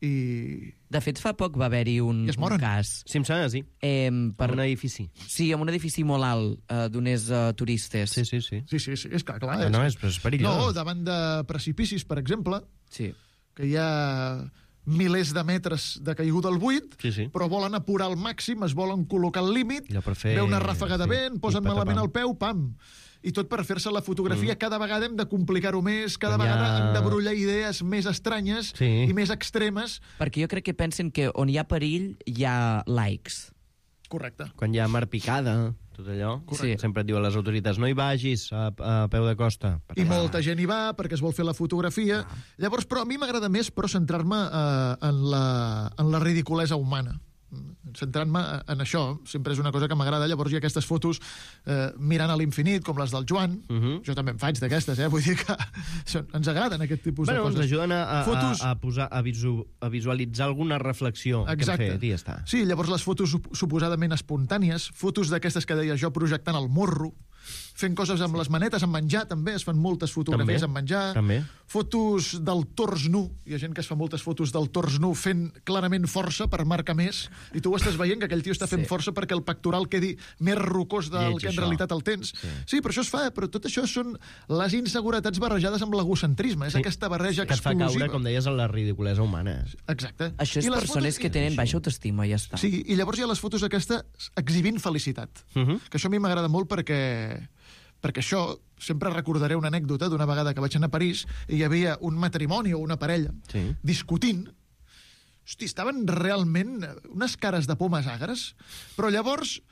i... De fet, fa poc va haver-hi un, I es un moren. cas. Sí, em sembla, sí. Eh, Per per... un edifici. Sí, amb un edifici molt alt, eh, d'unes uh, turistes. Sí, sí, sí. Sí, sí, sí, és que, clar... Ah, no, és, és perillós. No, davant de precipicis, per exemple, Sí. que hi ha milers de metres de caiguda al buit, Sí, sí. però volen apurar al màxim, es volen col·locar al límit, Allò per fer- ve una ràfaga de sí, vent, posen i malament patapam. el peu, pam! I tot per fer-se la fotografia. Mm. Cada vegada hem de complicar-ho més, cada Quan hi ha- vegada hem de brollar idees més estranyes Sí. i més extremes. Perquè jo crec que pensen que on hi ha perill hi ha likes. Correcte. Quan hi ha mar picada, tot allò, Correcte. sempre et diuen les autoritats no hi vagis a, a peu de costa. I molta gent hi va perquè es vol fer la fotografia. Ah. Llavors, però a mi m'agrada més però centrar-me eh, en, la, en la ridiculesa humana. Centrant-me en això, sempre és una cosa que m'agrada. Llavors hi ha aquestes fotos eh, mirant a l'infinit, com les del Joan. Uh -huh. Jo també en faig d'aquestes, eh? Vull dir que són, ens agraden aquest tipus Bueno, de ens coses. ajuden a, a, Fotos... a, a, posar, a, visu, a visualitzar alguna reflexió Exacte. que hem fet, i ja està. Sí, llavors les fotos sup- suposadament espontànies, fotos d'aquestes que deia jo projectant el morro, fent coses amb les manetes, amb menjar també, es fan moltes fotografies També, amb menjar, també. fotos del tors nu, hi ha gent que es fa moltes fotos del tors nu fent clarament força per marcar més, i tu ho estàs veient que aquell tio està fent Sí. força perquè el pectoral quedi més rocós del Lleig, que en això. realitat el tens. Sí. Sí, però això es fa, però tot això són les inseguretats barrejades amb l'egocentrisme, és Sí. aquesta barreja Que et fa explosiva. caure, com deies, en la ridiculesa humana. Exacte. Això és I les persones fotos- que tenen baixa autoestima, ja està. Sí, i llavors hi ha les fotos aquestes exhibint felicitat. Uh -huh. Que això a mi m'agrada molt perquè perquè això, sempre recordaré una anècdota d'una vegada que vaig anar a París i hi havia un matrimoni o una parella Sí. discutint. Hosti, estaven realment unes cares de pomes agres, però llavors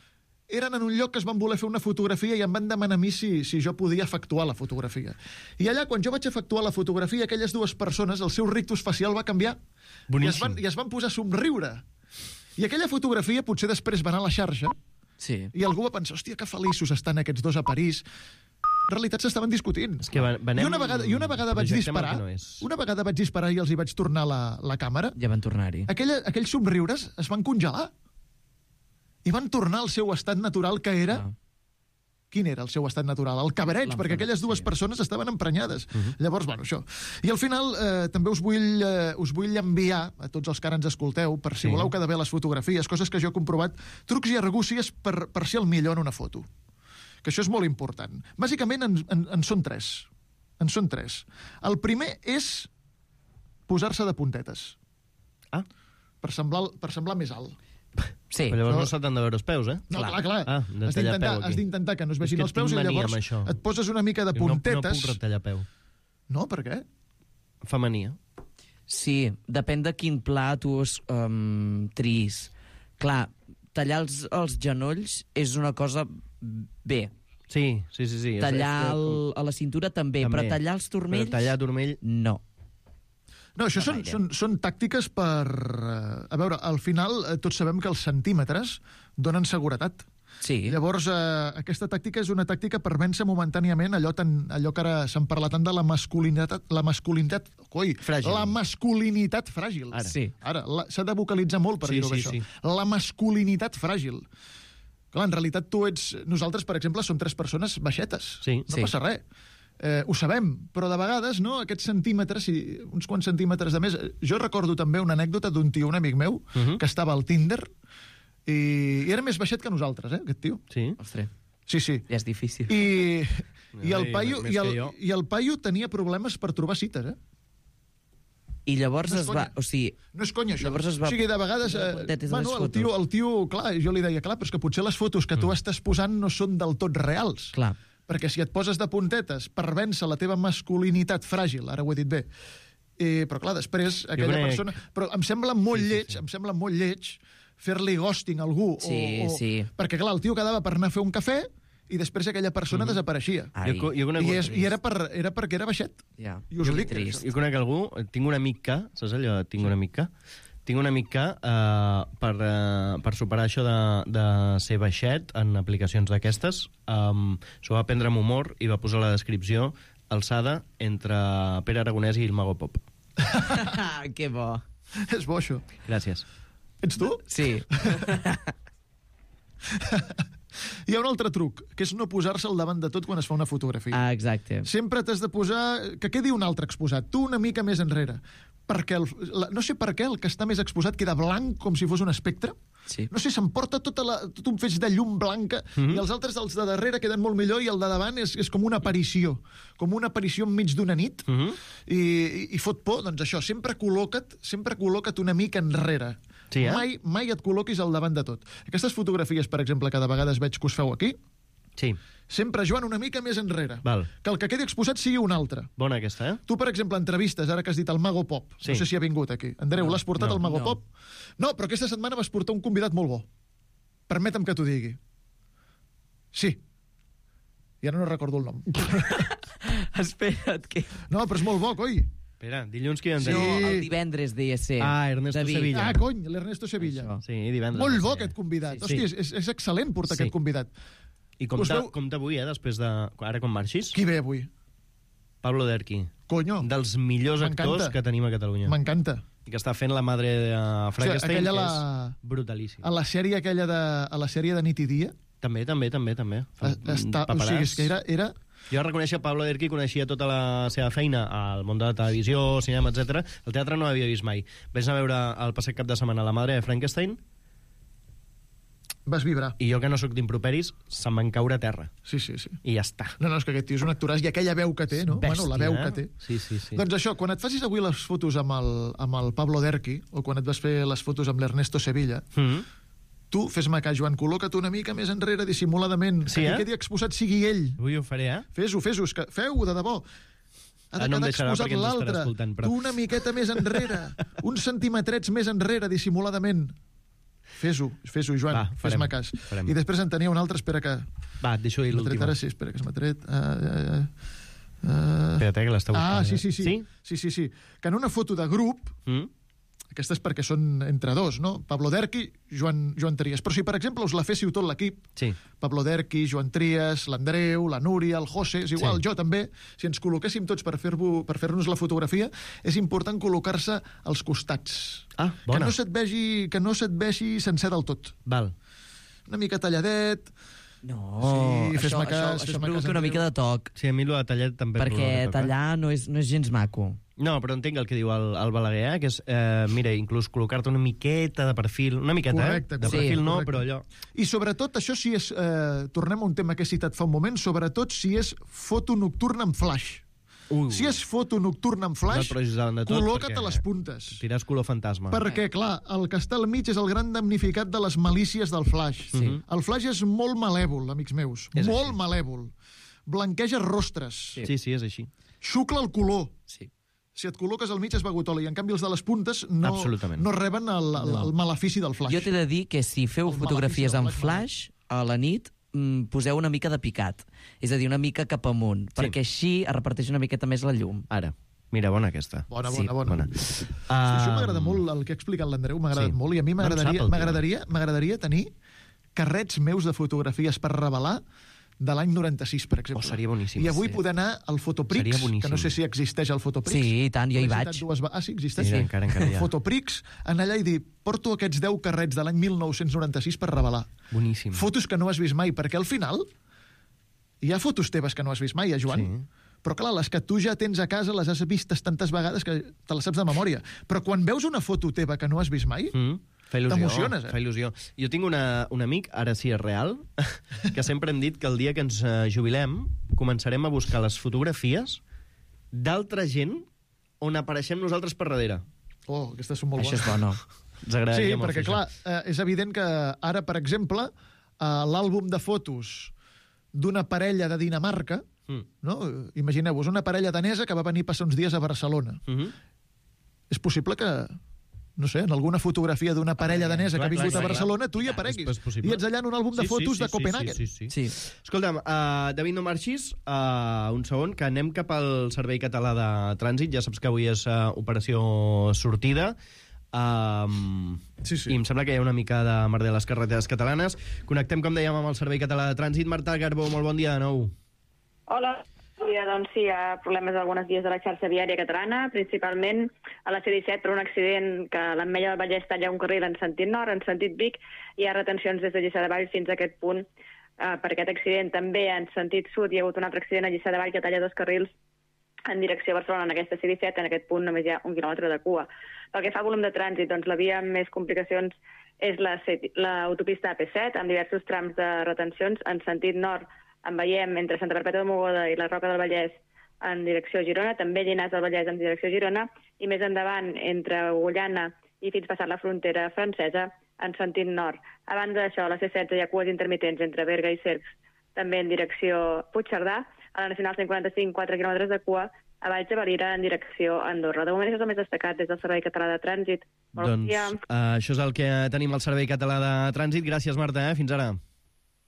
eren en un lloc que es van voler fer una fotografia i em van demanar a mi si, si jo podia efectuar la fotografia. I allà, quan jo vaig efectuar la fotografia, aquelles dues persones, el seu rictus facial va canviar. I es, van, I es van posar a somriure. I aquella fotografia potser després va anar a la xarxa sí. i algú va pensar, hòstia, que feliços estan aquests dos a París. En realitat s'estaven discutint. És que venem... I una vegada, i una vegada vaig disparar, no una vegada vaig disparar i els hi vaig tornar la, la càmera. Ja van tornar-hi. Aquella, aquells somriures es van congelar. I van tornar al seu estat natural, que era... Ah. Quin era el seu estat natural? El cabareig, perquè aquelles dues sí. persones estaven emprenyades. Uh -huh. Llavors, bueno, això. I al final eh, també us vull, eh, us vull enviar a tots els que ara ens escolteu, per si sí. voleu quedar bé les fotografies, coses que jo he comprovat, trucs i argúcies per, per ser el millor en una foto. Que això és molt important. Bàsicament en, en, en són tres. En són tres. El primer és posar-se de puntetes. Ah. Per semblar, per semblar més alt. Sí. Però llavors no se t'han de veure els peus, eh? No, clar, clar. Ah, has d'intentar has d'intentar que no es vegin els peus i llavors et poses una mica de puntetes. No, no puc retallar peu. No, per què? Fa mania. Sí, depèn de quin pla tu um, tris. Clar, tallar els, els genolls és una cosa bé. Sí, sí, sí. sí. Tallar el, a la cintura també, també, però tallar els turmells... Però tallar turmell... No. No, això no són, són, són tàctiques per... Uh, a veure, al final uh, tots sabem que els centímetres donen seguretat. Sí. Llavors, uh, aquesta tàctica és una tàctica per vèncer momentàniament allò, tan, allò que ara se'n parla tant de la masculinitat... La masculinitat... Coi, fràgil. La masculinitat fràgil. Ara. Sí. Ara, s'ha de vocalitzar molt per sí, dir-ho sí, això. Sí. La masculinitat fràgil. Clar, en realitat tu ets... Nosaltres, per exemple, som tres persones baixetes. Sí. No sí. passa res. Eh, ho sabem, però de vegades, no, aquests centímetres, si, uns quants centímetres de més... Jo recordo també una anècdota d'un tio, un amic meu, uh -huh. que estava al Tinder i, i era més baixet que nosaltres, eh, aquest tio. Sí? Ostres. Sí, sí. Ja és difícil. I, i, el, paio, més i, el, que jo. i el paio tenia problemes per trobar cites, eh? I llavors No és es va... conya. O sigui, No és conya, això. Llavors es va- O sigui, de vegades... Eh, Puntetes a les bueno, el tio, fotos. el tio, clar, jo li deia, clar, però és que potser les fotos que tu estàs posant no són del tot reals. clar. Perquè si et poses de puntetes per vèncer la teva masculinitat fràgil, ara ho he dit bé, eh, però clar, després aquella crec... persona... Però em sembla molt Sí, sí, lleig, sí. em sembla molt lleig fer-li ghosting a algú. Sí, o, o... sí. Perquè clar, el tio quedava per anar a fer un cafè i després aquella persona mm. desapareixia. Ai. Jo, jo conec... I, és, I era, per, era perquè era baixet. Ja. I us ho dic. Trist. Jo conec algú, tinc un amic que, saps allò, tinc un amic que, tinc un amic que, uh, per, uh, per superar això de, de ser baixet en aplicacions d'aquestes, um, s'ho va prendre amb humor i va posar la descripció alçada entre Pere Aragonès i el Mago Pop. Que bo. És bo, això. Gràcies. Ets tu? Sí. Hi ha un altre truc, que és no posar-se al davant de tot quan es fa una fotografia. Ah, exacte. Sempre t'has de posar... Que quedi un altre exposat, tu una mica més enrere. Perquè el, la, no sé per què el que està més exposat queda blanc com si fos un espectre. Sí. No sé, s'emporta tota la, tot un feix de llum blanca mm -hmm. i els altres, els de darrere, queden molt millor i el de davant és, és com una aparició. Com una aparició enmig d'una nit Mm -hmm. i, i, i fot por. Doncs això, sempre col·loca't, sempre col·loca't una mica enrere. Sí, eh? Mai, mai et col·loquis al davant de tot. Aquestes fotografies, per exemple, que de vegades veig que us feu aquí, Sí. sempre, Joan, una mica més enrere. Val. Que el que quedi exposat sigui un altre. Bona aquesta, eh? Tu, per exemple, entrevistes, ara que has dit el Mago Pop. Sí. No sé si ha vingut aquí. Andreu, No, l'has portat no, al Mago no. Pop? No, però aquesta setmana vas portar un convidat molt bo. Permetem que t'ho digui. Sí. I ara no recordo el nom. Espera't, que... No, però és molt bo, coi. Espera, dilluns qui en Sí. tenim? No, el divendres deia ser. Ah, Ernesto David. Sevilla. Ah, cony, l'Ernesto Sevilla. Això. Sí, divendres. Molt bo Sí. aquest convidat. Sí. Hòstia, és, és excel·lent portar Sí. aquest convidat. I Us compta, veu- compta avui, eh, després de... Ara quan marxis, Qui ve avui? Pablo Derqui. Conyo, Dels millors M'encanta. actors que tenim a Catalunya. m'encanta. I que està fent la madre de Frankenstein, aquella que la- és brutalíssim. A la sèrie aquella de... A la sèrie de Nit i Dia, També, també, també, també. Fa- està, o paperàs. sigui, és que era, era Jo reconeixia Pablo Derqui, coneixia tota la seva feina al món de la televisió, cinema, etcètera. El teatre no l'havia vist mai. Vaig anar a veure el passat cap de setmana La madre de Frankenstein vas vibrar. i jo, que no sóc d'improperis, se'm van caure a terra. Sí, sí, sí. I ja està. No, no, és que aquest tio és un actoràs i aquella veu que té, no? Bèstia, bueno, la veu eh? que té. Sí, sí, sí. Doncs això, quan et facis avui les fotos amb el, amb el Pablo Derqui, o quan et vas fer les fotos amb l'Ernesto Sevilla, Mm -hmm. tu, fes-me cas, Joan, col·loca't una mica més enrere, dissimuladament, Sí, que eh? qui quedi exposat sigui ell. Avui ho faré, eh? Fes-ho, fes-ho, és que feu-ho, de debò. Ha de Ah, no em quedar deixarà exposat perquè ens estarà l'altre. escoltant, però- Tu una miqueta més enrere, uns centimetrets més enrere, dissimuladament. Fes-ho, fes-ho, Joan, Va, farem, fes-me cas. farem. I després en tenia una altra, espera que... Va, et deixo dir M'ha tret l'última. ara, sí, espera que se m'ha tret... Uh, uh, uh, Espera't, eh, que l'està buscant. Ah, sí, sí, sí. Sí? Sí, sí, sí. Que en una foto de grup, Mm? aquesta és perquè són entre dos, no? Pablo Derqui, Joan, Joan Trias. Però si, per exemple, us la féssiu tot l'equip, sí. Pablo Derqui, Joan Trias, l'Andreu, la Núria, el José, és igual, Sí. jo també, si ens col·loquéssim tots per fer-vos per fer-nos la fotografia, és important col·locar-se als costats. Ah, bona. Que no se't vegi, que no se't vegi sencer del tot. Val. Una mica talladet... No, sí, això, fes-me cas, això, això fes-me provoca cas, una mica de toc. Sí, a mi el de tallat també... Perquè provoca toc, eh? tallar no és, no és gens maco. No, però entenc el que diu el, el Balaguer, eh? Que és, eh, mira, inclús col·locar-te una miqueta de perfil, una miqueta, Correcte, eh? De correcte, perfil no, correcte. però allò... I sobretot, això si és... Eh, tornem a un tema que he citat fa un moment, sobretot si és foto nocturna amb flash. Uh, si és foto nocturna amb flash, no de tot, col·loca't a perquè les puntes. Tiràs color fantasma. Perquè, clar, el que està al mig és el gran damnificat de les malícies del flash. Sí. El flash és molt malèvol, amics meus. És molt així. malèvol. Blanqueja rostres. Sí. sí, sí, és així. Xucla el color. Sí. Si et col·loques al mig és begut oli. En canvi, els de les puntes no, Absolutament. no reben el, el, el malefici del flash. Jo t'he de dir que si feu El fotografies malefici del amb flash, a la nit, mm, poseu una mica de picat. És a dir, una mica cap amunt, Sí. perquè així es reparteix una miqueta més la llum. Ara. Mira, bona aquesta. Bona, Sí, bona, bona. bona. Sí, Um, això m'agrada molt, el que ha explicat l'Andreu, m'ha agradat Sí. molt, i a mi No en m'agradaria sap el tio. m'agradaria m'agradaria tenir carrets meus de fotografies per revelar de l'any noranta-sis, per exemple. Oh, seria boníssim. I avui Sí. poder anar al Fotoprix, Seria boníssim. que no sé si existeix el Fotoprix. Sí, i tant, jo hi L'he vaig. citat Dues... va- Ah, sí, existeix? Mira, encara, encara hi ha. Fotoprix, anar allà i dir, porto aquests deu carrets de l'any mil nou-cents noranta-sis per revelar. Boníssim. Fotos que no has vist mai, perquè al final hi ha fotos teves que no has vist mai, eh, Joan? Sí. Però clar, les que tu ja tens a casa les has vistes tantes vegades que te les saps de memòria. Però quan veus una foto teva que no has vist mai, Mm. Fa il·lusió. T'emociones, eh? Fa il·lusió. Jo tinc una, un amic, ara sí és real, que sempre hem dit que el dia que ens eh, jubilem començarem a buscar les fotografies d'altra gent on apareixem nosaltres per darrere. oh, aquestes són molt Això és bones. bona. Ens agradaria Sí, molt perquè fer clar, això. eh, és evident que ara, per exemple, a l'àlbum de fotos d'una parella de Dinamarca, Mm. no? Imagineu-vos, una parella danesa que va venir a passar uns dies a Barcelona. Mm -hmm. És possible que, no sé, en alguna fotografia d'una parella danesa clar, que ha vingut clar, a clar. Barcelona, tu hi Clar, apareguis. és possible. I ets allà en un àlbum de Sí, sí, fotos sí, de sí, Copenhagen. Sí, sí, sí. Sí. Escolta'm, uh, David, no marxis uh, un segon, que anem cap al Servei Català de Trànsit. Ja saps que avui és uh, operació sortida. Um, Sí, sí. I em sembla que hi ha una mica de merder a les carreteres catalanes. Connectem, com dèiem, amb el Servei Català de Trànsit. Marta Garbó, molt bon dia de nou. Hola. Ja, doncs sí, hi ha problemes algunes vies de la xarxa viària catalana, principalment a la C disset per un accident que a l'Ametlla del Vallès talla un carril en sentit nord, en sentit Vic, i hi ha retencions des de Lliçà de Vall fins a aquest punt eh, per aquest accident. També en sentit sud hi ha hagut un altre accident a Lliçà de Vall que talla dos carrils en direcció a Barcelona en aquesta C disset, en aquest punt només hi ha un quilòmetre de cua. Pel que fa a volum de trànsit, doncs la via amb més complicacions és l'autopista A P set, amb diversos trams de retencions en sentit nord. En veiem entre Santa Perpètua de Mogoda i la Roca del Vallès en direcció a Girona, també Llinars del Vallès en direcció a Girona, i més endavant, entre Ullana i fins passar la frontera francesa, en sentit nord. A banda d'això, a la C setze hi ha cues intermitents entre Berga i Cercs, també en direcció a Puigcerdà, a la Nacional cent quaranta-cinc, quatre quilòmetres de cua, a Valls de Valira en direcció a Andorra. De moment això és el més destacat des del Servei Català de Trànsit. Molt bon Doncs dia. uh, això és el que tenim al Servei Català de Trànsit. Gràcies, Marta, eh? Fins ara.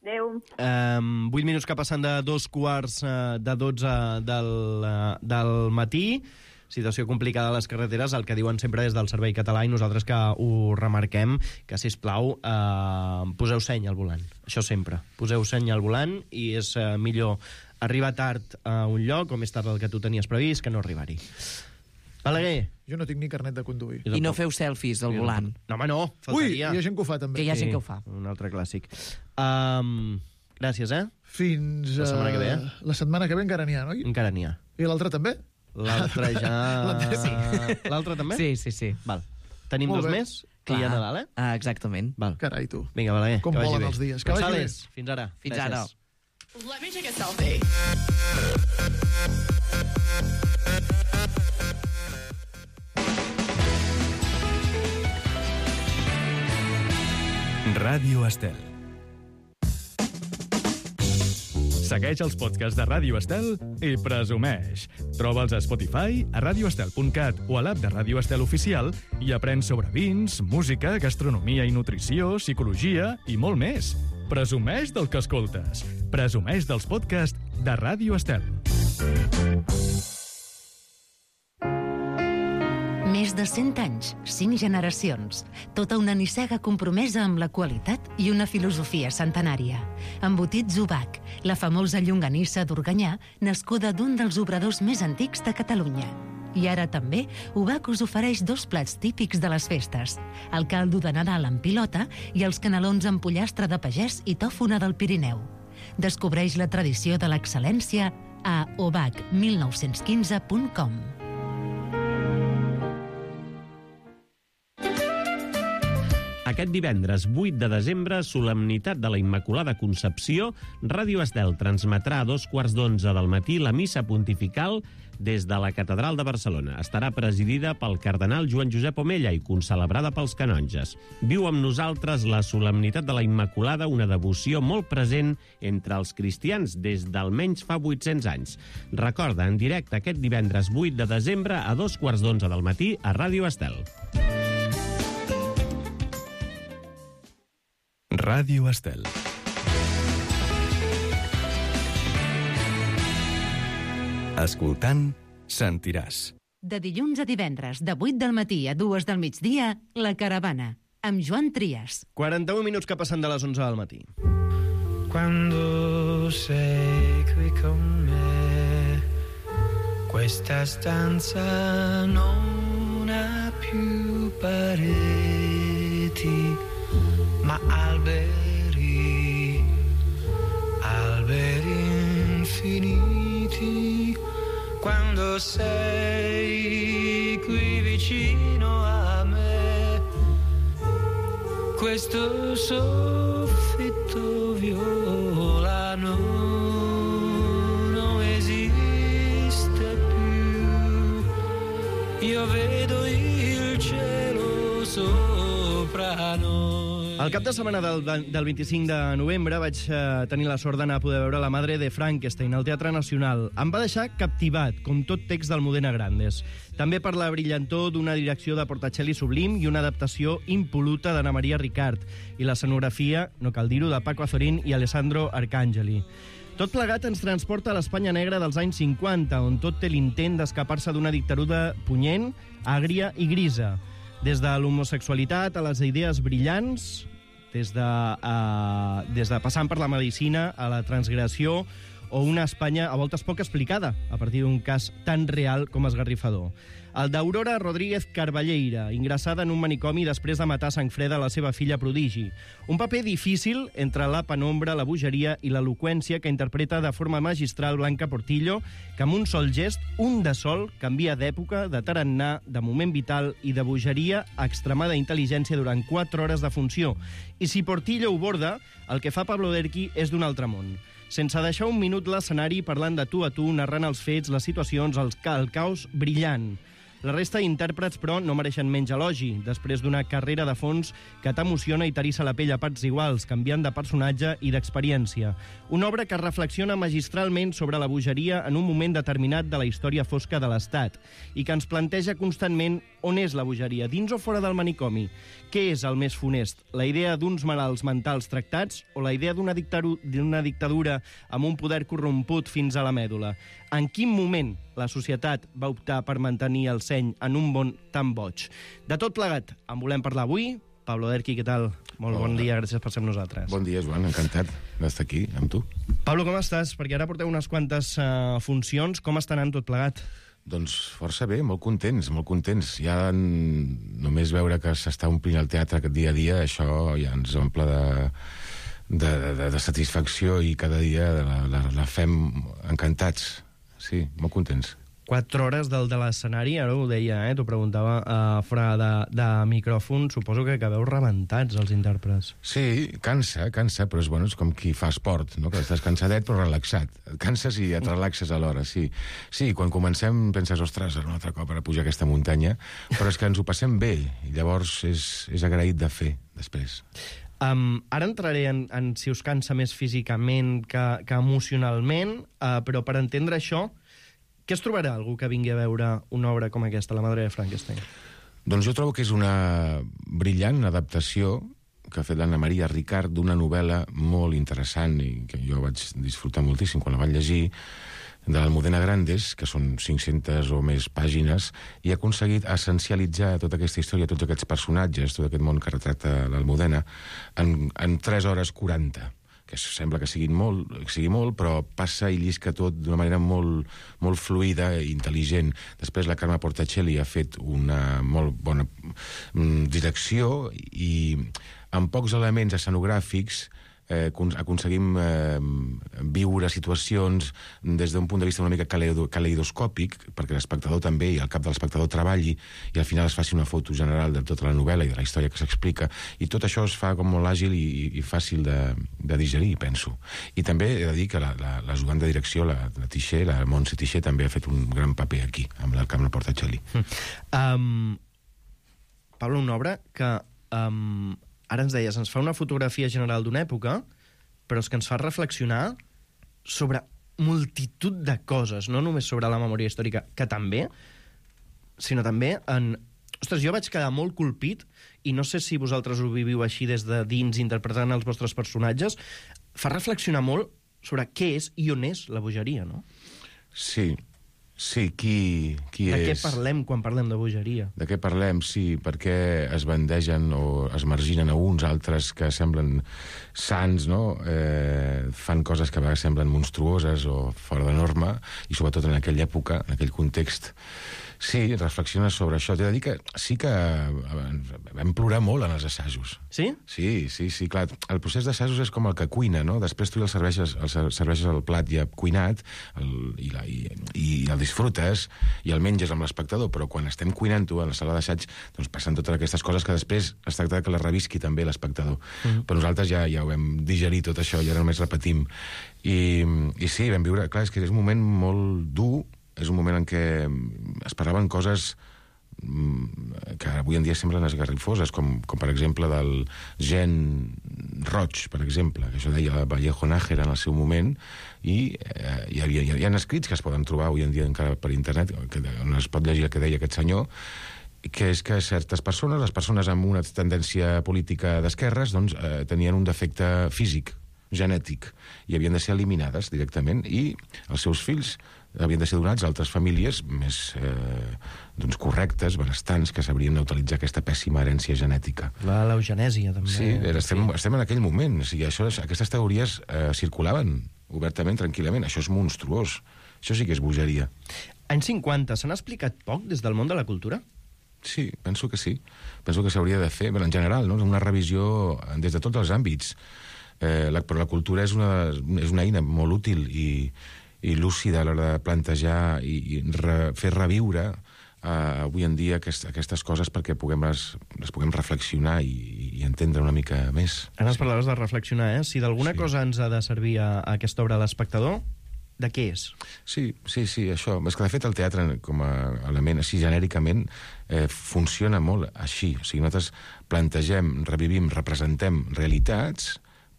Adéu. Um, vuit minuts que passen de dos quarts uh, de dotze del, uh, del matí. Situació complicada a les carreteres, el que diuen sempre des del Servei Català, i nosaltres que ho remarquem, que, sisplau, uh, poseu seny al volant. Això sempre. Poseu seny al volant i és uh, millor arribar tard a un lloc o més tard del que tu tenies previst que no arribar-hi. Balaguer. Jo no tinc ni carnet de conduir. I no feu selfies al volant. No, home, no. Ui, Faltaria. hi ha gent que ho fa, també. Que hi ha gent que ho fa. Un altre clàssic. Um, gràcies, eh? Fins... La setmana que ve, eh? eh, La setmana que ve encara n'hi ha, no? Encara n'hi ha. I l'altre també? L'altre ja... L'altre sí. L'altre també? Sí, sí, sí. Val. Tenim Molt dos bé. més? Que hi ha Nadal, eh? Ah, exactament. Val. Carai, tu. Vinga, Balaguer, Com que vagi volen bé. els dies. Que vagi bé. González, fins ara. Fins Gràcies. ara. Let me take a selfie. Ràdio Estel. Segueix els podcasts de Ràdio Estel i presumeix. Troba'ls a Spotify, a radio estel punt cat o a l'app de Ràdio Estel Oficial i aprèn sobre vins, música, gastronomia i nutrició, psicologia i molt més. Presumeix del que escoltes. Presumeix dels podcasts de Ràdio Estel. Més de cent anys, cinc generacions, tota una nissaga compromesa amb la qualitat i una filosofia centenària. Embotits Ubac, la famosa llonganissa d'Organyà, nascuda d'un dels obradors més antics de Catalunya. I ara també, Ubac us ofereix dos plats típics de les festes, el caldo de Nadal amb pilota i els canelons amb pollastre de pagès i tòfona del Pirineu. Descobreix la tradició de l'excel·lència a ubac mil nou-cents quinze punt com. Aquest divendres vuit de desembre, solemnitat de la Immaculada Concepció, Ràdio Estel transmetrà a dos quarts d'onze del matí la missa pontifical des de la Catedral de Barcelona. Estarà presidida pel cardenal Joan Josep Omella i concelebrada pels canonges. Viu amb nosaltres la solemnitat de la Immaculada, una devoció molt present entre els cristians des d'almenys fa vuit-cents anys. Recorda, en directe aquest divendres vuit de desembre a dos quarts d'onze del matí a Ràdio Estel. Ràdio Estel. Escoltant, sentiràs. De dilluns a divendres, de vuit del matí a dues del migdia, La Caravana, amb Joan Trias. quaranta-un minuts que passen de les onze del matí. Quando sei qui con me, questa stanza non ha più pareti, ma alberi, alberi infiniti. Quando sei qui vicino a me, questo soffitto violano non esiste più. Io vedo il cielo sopra noi. El cap de setmana del, del vint-i-cinc de novembre vaig eh, tenir la sort d'anar a poder veure La Madre de Frankenstein al Teatre Nacional. Em va deixar captivat, com tot text d'Almudena Grandes. També per la brillantor d'una direcció de Portacelli sublim i una adaptació impoluta d'Anna Maria Ricard. I l'escenografia, no cal dir-ho, de Paco Azorín i Alessandro Arcangeli. Tot plegat ens transporta a l'Espanya negra dels anys cinquanta, on tot té l'intent d'escapar-se d'una dictadura punyent, àgria i grisa. Des de l'homosexualitat a les idees brillants, des de, uh, des de passant per la medicina a la transgressió o una Espanya a voltes poc explicada, a partir d'un cas tan real com esgarrifador. El d'Aurora Rodríguez Carballeira, ingressada en un manicomi després de matar a sang freda la seva filla prodigi. Un paper difícil entre la penombra, la bogeria i l'eloqüència que interpreta de forma magistral Blanca Portillo, que amb un sol gest, un de sol, canvia d'època, de tarannà, de moment vital i de bogeria a extremada intel·ligència durant quatre hores de funció. I si Portillo ho borda, el que fa Pablo Derqui és d'un altre món. Sense deixar un minut l'escenari parlant de tu a tu, narrant els fets, les situacions, el, ca el caos brillant. La resta d'intèrprets, però, no mereixen menys elogi, després d'una carrera de fons que t'emociona i t'arissa la pell a parts iguals, canviant de personatge i d'experiència. Una obra que reflexiona magistralment sobre la bogeria en un moment determinat de la història fosca de l'Estat i que ens planteja constantment on és la bogeria, dins o fora del manicomi. Què és el més funest? La idea d'uns malalts mentals tractats o la idea d'una dictadura, dictadura amb un poder corromput fins a la mèdula? En quin moment la societat va optar per mantenir el seny en un món tan boig? De tot plegat, en volem parlar avui. Pablo Derqui, què tal? Molt bon dia, gràcies per ser amb nosaltres. Bon dia, Joan, encantat d'estar aquí amb tu. Pablo, com estàs? Perquè ara porteu unes quantes uh, funcions. Com està anant tot plegat? Doncs força bé, molt contents, molt contents. Ja només veure que s'està omplint el teatre dia a dia, això ja ens omple de, de, de, de satisfacció i cada dia la, la, la fem encantats. Sí, molt contents. Quatre hores del de l'escenari, ara ho deia, eh? T'ho preguntava uh, fora de, de micròfon, suposo que acabeu rebentats, els intèrprets. Sí, cansa, cansa, però és, bueno, és com qui fa esport, no? Que estàs cansadet però relaxat. Et canses i et relaxes alhora, sí. Sí, quan comencem penses, ostres, un altre cop per pujar aquesta muntanya, però és que ens ho passem bé, i llavors és, és agraït de fer, després. Um, ara entraré en, en si us cansa més físicament que, que emocionalment, uh, però per entendre això, què es trobarà algú que vingui a veure una obra com aquesta, La Madre de Frankenstein? Doncs jo trobo que és una brillant adaptació que ha fet l'Anna Maria Ricard d'una novel·la molt interessant i que jo vaig disfrutar moltíssim quan la vaig llegir, de l'Almudena Grandes, que són cinc-centes o més pàgines, i ha aconseguit essencialitzar tota aquesta història, tots aquests personatges, tot aquest món que retrata l'Almudena, en, en tres hores quaranta, que sembla que sigui molt, que sigui molt, però passa i llisca tot d'una manera molt, molt fluida i intel·ligent. Després la Carme Portacelli ha fet una molt bona mm, direcció i amb pocs elements escenogràfics Eh, aconseguim eh, viure situacions des d'un punt de vista una mica caleidoscòpic, perquè l'espectador també i el cap de l'espectador treballi i al final es faci una foto general de tota la novel·la i de la història que s'explica, i tot això es fa com molt àgil i, i fàcil de, de digerir, penso. I també he de dir que la, la, l'ajudant de direcció, la, la Tixer, la Montse Tixer, també ha fet un gran paper aquí, amb la Carme Portacelli. Um, Pablo, una obra que... Um, ara ens deies, ens fa una fotografia general d'una època, però és que ens fa reflexionar sobre multitud de coses, no només sobre la memòria històrica, que també, sinó també en... Ostres, jo vaig quedar molt colpit, i no sé si vosaltres ho viviu així des de dins, interpretant els vostres personatges, fa reflexionar molt sobre què és i on és la bogeria, no? Sí, sí, qui, qui de és... què parlem quan parlem de bogeria? De què parlem, sí, perquè es bandegen o es marginen a uns, altres que semblen sants, no? Eh, fan coses que a vegades semblen monstruoses o fora de norma, i sobretot en aquella època, en aquell context. Sí, reflexiona sobre això. T'he de dir que sí que vam plorar molt en els assajos. Sí? Sí, sí, sí, clar. El procés d'assajos és com el que cuina, no? Després tu el serveixes, el serveixes el plat ja cuinat el, i, la, i, i el disfrutes i el menges amb l'espectador, però quan estem cuinant-ho a la sala d'assaig, doncs passen totes aquestes coses que després es tracta que les revisqui també l'espectador. Mm-hmm. Però nosaltres ja, ja ho vam digerir tot això i ara només repetim. I, i sí, vam viure... Clar, és que és un moment molt dur, és un moment en què es parlaven coses que avui en dia semblen esgarrifoses, com, com per exemple del gen roig, per exemple, que això deia Vallejo Nájera en el seu moment, i eh, hi, havia, hi ha escrits que es poden trobar avui en dia encara per internet, que, on es pot llegir el que deia aquest senyor, que és que certes persones, les persones amb una tendència política d'esquerres, doncs, eh, tenien un defecte físic, genètic, i havien de ser eliminades directament, i els seus fills havien de ser donats a altres famílies més eh, doncs correctes, benestants, que sabrien utilitzar aquesta pèssima herència genètica. La l'eugenèsia, també. Sí, estem, estem en aquell moment. O sigui, això, aquestes teories eh, circulaven obertament, tranquil·lament. Això és monstruós. Això sí que és bogeria. Anys cinquanta, s'han explicat poc des del món de la cultura? Sí, penso que sí. Penso que s'hauria de fer, però en general, no? Una revisió des de tots els àmbits. Eh, la, però la cultura és una, és una eina molt útil i i lúcida a l'hora de plantejar i, i re, fer reviure uh, avui en dia aquest, aquestes coses perquè puguem les, les puguem reflexionar i, i entendre una mica més. Ara ens parlaves de reflexionar, eh? Si d'alguna sí. cosa ens ha de servir a, a aquesta obra a l'espectador, de què és? Sí, sí, sí, això. És que, de fet, el teatre, com a element, així genèricament, eh, funciona molt així. O sigui, nosaltres plantegem, revivim, representem realitats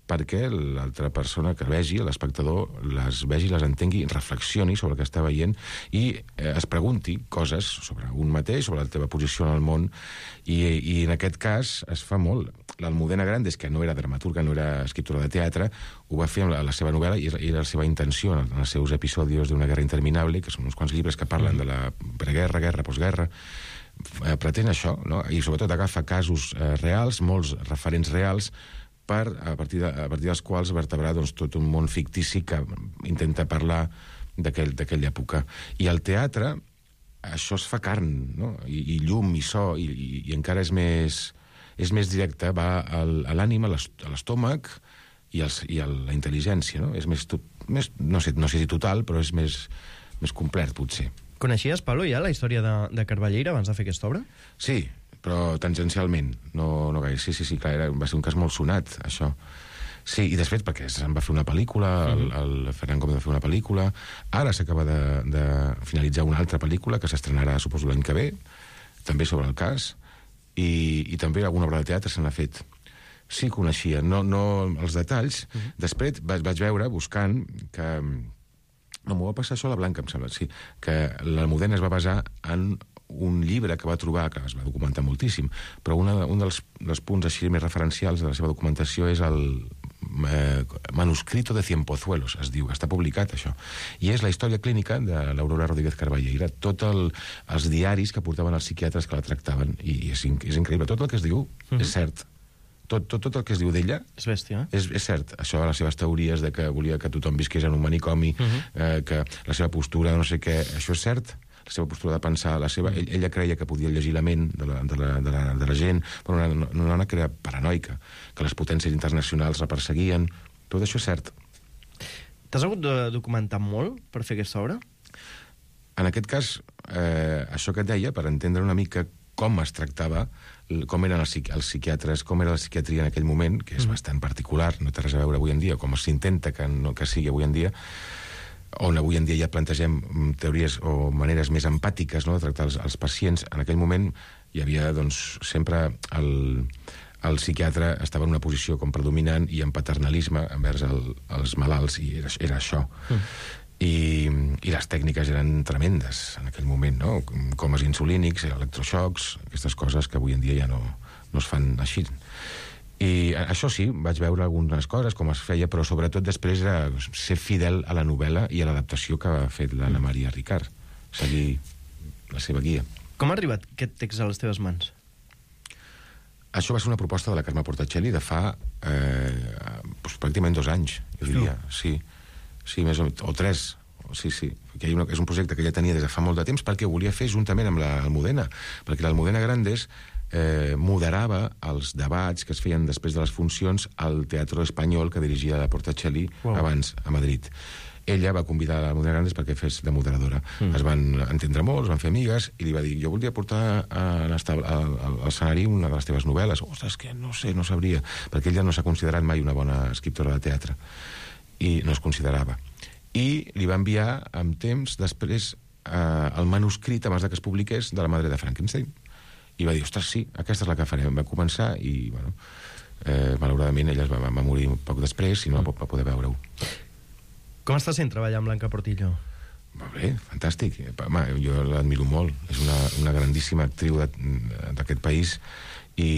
perquè l'altra persona que vegi, l'espectador, les vegi, les entengui, reflexioni sobre el que està veient i eh, es pregunti coses sobre un mateix, sobre la teva posició en el món, i, i en aquest cas es fa molt. L'Almudena Grandes, que no era dramaturga, no era escriptora de teatre, ho va fer amb la, la seva novel·la i era la seva intenció en, en els seus episodis d'Una guerra interminable, que són uns quants llibres que parlen de la preguerra, guerra, postguerra, eh, pretén això, no? I sobretot agafa casos eh, reals, molts referents reals, per, a partir, de, a partir dels quals vertebrar doncs, tot un món fictici que intenta parlar d'aquella època. I al teatre això es fa carn, no? I, i llum, i so, i, i, i encara és més, és més directe, va al, a l'ànima, a l'estómac i, els, i a la intel·ligència, no? És més, més no, sé, no sé si total, però és més, més complet, potser. Coneixies, Pablo, ja la història de, de Carballeira abans de fer aquesta obra? Sí, però tangencialment, no, no gaire. Sí, sí, sí, clar, era, va ser un cas molt sonat, això. Sí, i després perquè se'n va fer una pel·lícula, el, el Ferran Gómez va fer una pel·lícula, ara s'acaba de, de finalitzar una altra pel·lícula que s'estrenarà, suposo, l'any que ve, també sobre el cas, i, i també alguna obra de teatre se n'ha fet. Sí, coneixia, no, no els detalls. Uh-huh. Després vaig, vaig veure, buscant, que... No, m'ho va passar això a la Blanca, em sembla, sí, que l'Almudena es va basar en un llibre que va trobar, que es va documentar moltíssim, però una, un dels, dels punts així més referencials de la seva documentació és el eh, Manuscrito de Cienpozuelos, es diu, està publicat això, i és la història clínica de l'Aurora Rodríguez Carballeira, tots el, els diaris que portaven els psiquiatres que la tractaven, i és, és increïble, tot el que es diu mm-hmm. és cert. Tot, tot, tot el que es diu d'ella és bèstia, eh? és, és cert. Això, les seves teories de que volia que tothom visqués en un manicomi, uh-huh. eh, que la seva postura, no sé què, això és cert. La seva postura de pensar, la seva... Ell, ella creia que podia llegir la ment de la, de la, de la, de la gent, però una, una dona que era paranoica, que les potències internacionals la perseguien. Tot això és cert. T'has hagut de documentar molt per fer aquesta obra? En aquest cas, eh, això que et deia, per entendre una mica com es tractava, com eren els, els psiquiatres, com era la psiquiatria en aquell moment, que és mm. bastant particular, no té res a veure avui en dia, com s'intenta que, no, que sigui avui en dia, on avui en dia ja plantegem teories o maneres més empàtiques, no?, de tractar els, els pacients. En aquell moment hi havia, doncs, sempre el, el psiquiatre estava en una posició com predominant i en paternalisme envers el, els malalts, i era, era això. Mm. I, i les tècniques eren tremendes en aquell moment, no? Comes insulínics, electroxocs, aquestes coses que avui en dia ja no, no es fan així. I això sí, vaig veure algunes coses, com es feia, però sobretot després era ser fidel a la novel·la i a l'adaptació que ha fet l'Anna Maria Ricard, seguir la seva guia. Com ha arribat aquest text a les teves mans? Això va ser una proposta de la Carme Portacelli de fa eh, doncs, pràcticament dos anys, jo diria, sí. Sí, més o, o tres, sí, sí. Que una, és un projecte que ja tenia des de fa molt de temps perquè ho volia fer juntament amb l'Almudena, perquè l'Almudena Grandes eh, moderava els debats que es feien després de les funcions al Teatro Espanyol que dirigia la Portacelli wow. abans a Madrid. Ella va convidar l'Almudena Grandes perquè fes de moderadora. Mm. Es van entendre molt, es van fer amigues, i li va dir, jo voldria portar a l'escenari una de les teves novel·les. Ostres, que no sé, no sabria, perquè ella no s'ha considerat mai una bona escriptora de teatre. I no es considerava. I li va enviar amb temps després eh, el manuscrit, abans que es publiqués, de La madre de Frankenstein. I va dir, ostres, sí, aquesta és la que farem. Va començar i, bueno, eh, malauradament ella es va, va morir un poc després i no va, va poder veure-ho. Com està sent treballar amb Blanca Portillo? Molt bé, fantàstic. Home, jo l'admiro molt. És una, una grandíssima actriu d'aquest país i,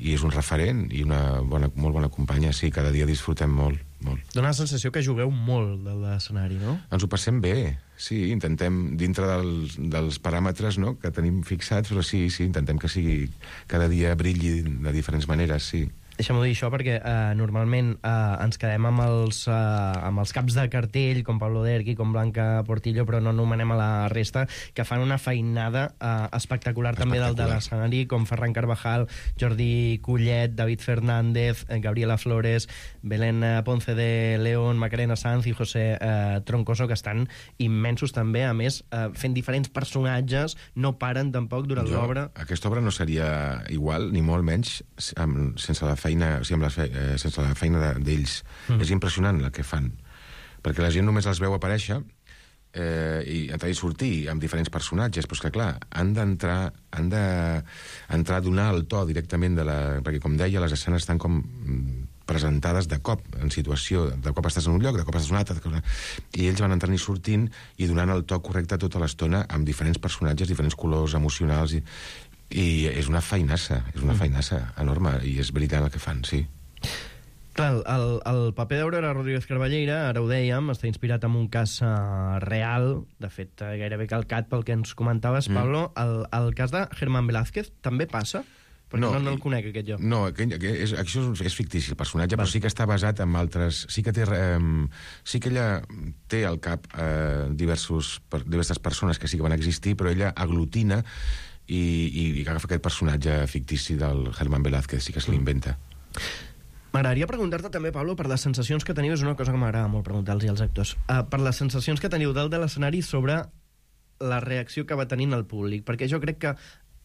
i és un referent i una bona, molt bona companya. Sí, cada dia disfrutem molt. Molt. Dóna la sensació que jugueu molt de l'escenari, no? Ens ho passem bé, sí, intentem, dintre dels, dels paràmetres, no?, que tenim fixats, però sí, sí, intentem que sigui cada dia brilli de diferents maneres, sí. Deixa'm-ho dir això perquè eh, normalment eh, ens quedem amb els, eh, amb els caps de cartell, com Pablo Derqui, com Blanca Portillo, però no anomenem a la resta, que fan una feinada eh, espectacular, espectacular també del de l'escenari, com Ferran Carvajal, Jordi Collet, David Fernández, eh, Gabriela Flores, Belén Ponce de León, Macarena Sanz i José eh, Troncoso, que estan immensos també, a més, eh, fent diferents personatges, no paren tampoc durant l'obra. Aquesta obra no seria igual, ni molt menys, amb, sense la feina feina, o sigui, amb la fe, eh, sense la feina d'ells. Mm. És impressionant el que fan. Perquè la gent només els veu aparèixer eh, i entrar i sortir amb diferents personatges, però és que, clar, han d'entrar han d'entrar a donar el to directament de la... Perquè, com deia, les escenes estan com presentades de cop, en situació. De cop estàs en un lloc, de cop estàs en un altre, i ells van entrant i sortint i donant el to correcte tota l'estona amb diferents personatges, diferents colors emocionals i... I és una feinassa, és una feinassa enorme, i és brillant el que fan, sí. Clar, el, el paper d'Aurora Rodríguez Carballeira, ara ho dèiem, està inspirat en un cas uh, real, de fet, uh, gairebé calcat pel que ens comentaves, mm. Pablo. El, el cas de Germán Velázquez també passa? Perquè no, no, no el conec, aquest jo. No, que, que és, això és fictici, el personatge, Val. Però sí que està basat en altres... Sí que té... Eh, sí que ella té al cap eh, diversos, per, diverses persones que sí que van existir, però ella aglutina i, i, i agafa aquest personatge fictici del Germán Velázquez, sí que se l'inventa. M'agradaria preguntar-te també, Pablo, per les sensacions que teniu, és una cosa que m'agrada molt preguntar-los als actors, uh, per les sensacions que teniu dalt de l'escenari sobre la reacció que va tenint el públic, perquè jo crec que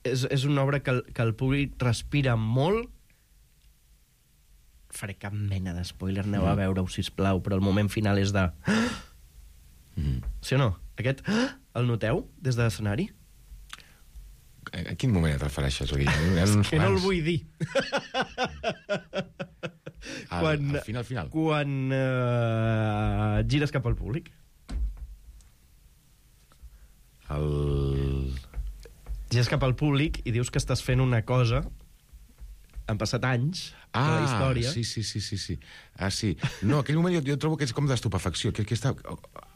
és, és una obra que el, que el públic respira molt. Faré cap mena d'espoiler, aneu mm. a veure-ho, sisplau, però el moment final és de... Mm. Sí o no? Aquest... El noteu des de l'escenari? A quin moment et refereixes? És que no el vull dir. Al, quan, al final, al final. Quan uh, gires cap al públic. El... Gires cap al públic i dius que estàs fent una cosa. Han passat anys ah, de la història. sí, sí, sí, sí, sí. Ah, sí. No, aquell moment jo, jo trobo que és com d'estupefacció. Que, que està...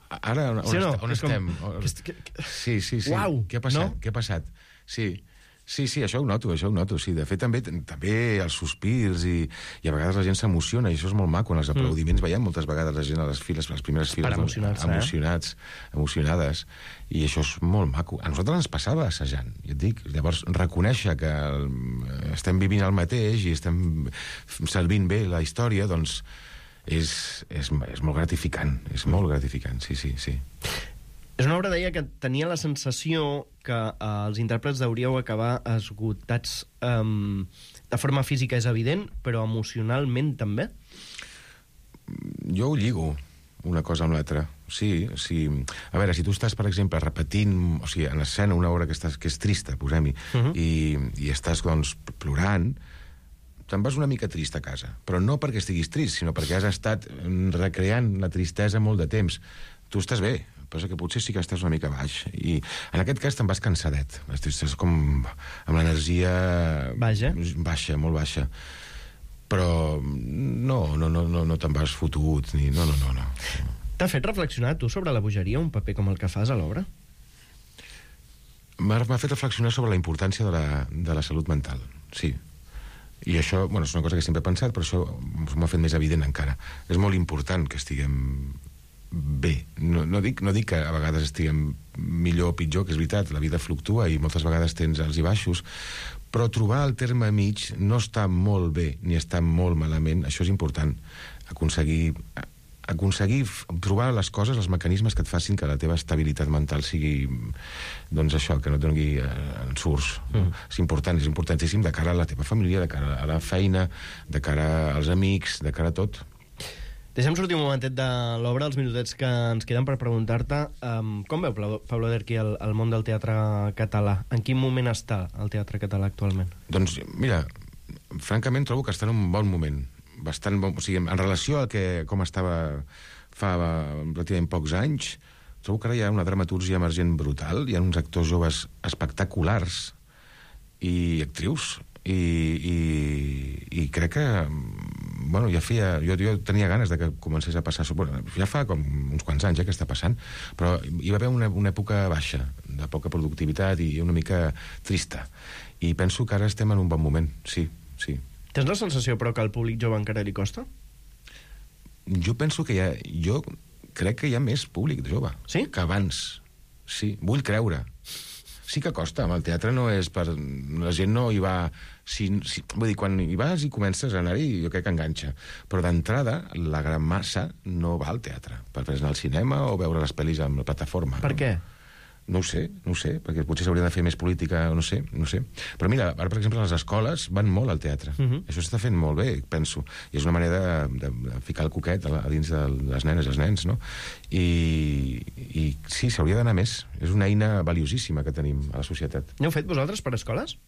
Ara, on, sí, no? est on estem? Com... Que, que... Sí, sí, sí. Uau, què ha passat? no? Què ha passat? Sí. Sí, sí, això ho noto, això ho noto, sí. De fet, també també els sospirs i, i a vegades la gent s'emociona, i això és molt maco. En els aplaudiments mm. veiem moltes vegades la gent a les files, a les primeres files... Per emocionar-se, doncs, emocionats, eh? emocionades, i això és molt maco. A nosaltres ens passava assajant, ja et dic. Llavors, reconèixer que estem vivint el mateix i estem servint bé la història, doncs és, és, és molt gratificant, és molt gratificant, sí, sí, sí. És una obra, deia, que tenia la sensació que eh, els intèrprets hauríeu acabar esgotats um, de forma física, és evident, però emocionalment també? Jo ho lligo, una cosa amb l'altra. Sí, sí. A veure, si tu estàs, per exemple, repetint, o sigui, en escena una obra que, estàs, que és trista, posem-hi, uh -huh. i, i estàs, doncs, plorant, te'n vas una mica trist a casa. Però no perquè estiguis trist, sinó perquè has estat recreant la tristesa molt de temps. Tu estàs bé, però que potser sí que estàs una mica baix. I en aquest cas te'n vas cansadet. Estàs com amb l'energia... Baixa? Baixa, molt baixa. Però no, no, no, no, no te'n vas fotut, ni... No, no, no, no. T'ha fet reflexionar, tu, sobre la bogeria, un paper com el que fas a l'obra? M'ha fet reflexionar sobre la importància de la, de la salut mental, sí. I això, bueno, és una cosa que sempre he pensat, però això m'ha fet més evident encara. És molt important que estiguem bé. No, no, dic, no dic que a vegades estiguem millor o pitjor, que és veritat, la vida fluctua i moltes vegades tens alts i baixos, però trobar el terme mig no està molt bé ni està molt malament, això és important. Aconseguir, aconseguir trobar les coses, els mecanismes que et facin que la teva estabilitat mental sigui, doncs això, que no et doni eh, ensurts. Mm. És important, és importantíssim de cara a la teva família, de cara a la feina, de cara als amics, de cara a tot. Deixem sortir un momentet de l'obra, els minutets que ens queden per preguntar-te um, com veu, Pablo Derqui, el, el món del teatre català? En quin moment està el teatre català actualment? Doncs, mira, francament trobo que està en un bon moment. Bastant bon, o sigui, en relació a que, com estava fa relativament pocs anys, trobo que ara hi ha una dramatúrgia emergent brutal, hi ha uns actors joves espectaculars i actrius, i, i, i crec que bueno, ja feia, jo, jo tenia ganes de que comencés a passar, bueno, ja fa com uns quants anys eh, que està passant, però hi va haver una, una època baixa, de poca productivitat i una mica trista, i penso que ara estem en un bon moment, sí, sí. Tens la sensació, però, que al públic jove encara li costa? Jo penso que hi ha, jo crec que hi ha més públic jove sí? que abans, sí, vull creure. Sí que costa, amb el teatre no és per... La gent no hi va... Si, si, vull dir, quan hi vas i comences a anar-hi, jo crec que enganxa. Però d'entrada, la gran massa no va al teatre per anar al cinema o veure les pel·lis amb la plataforma. Per no? què? No ho sé, no ho sé, perquè potser s'hauria de fer més política, no sé, no sé. Però mira, ara, per exemple, les escoles van molt al teatre. Uh -huh. Això s'està fent molt bé, penso. I és una manera de, de ficar el coquet a, la, a dins de les nenes i els nens, no? I, i sí, s'hauria d'anar més. És una eina valiosíssima que tenim a la societat. N'heu fet vosaltres per escoles?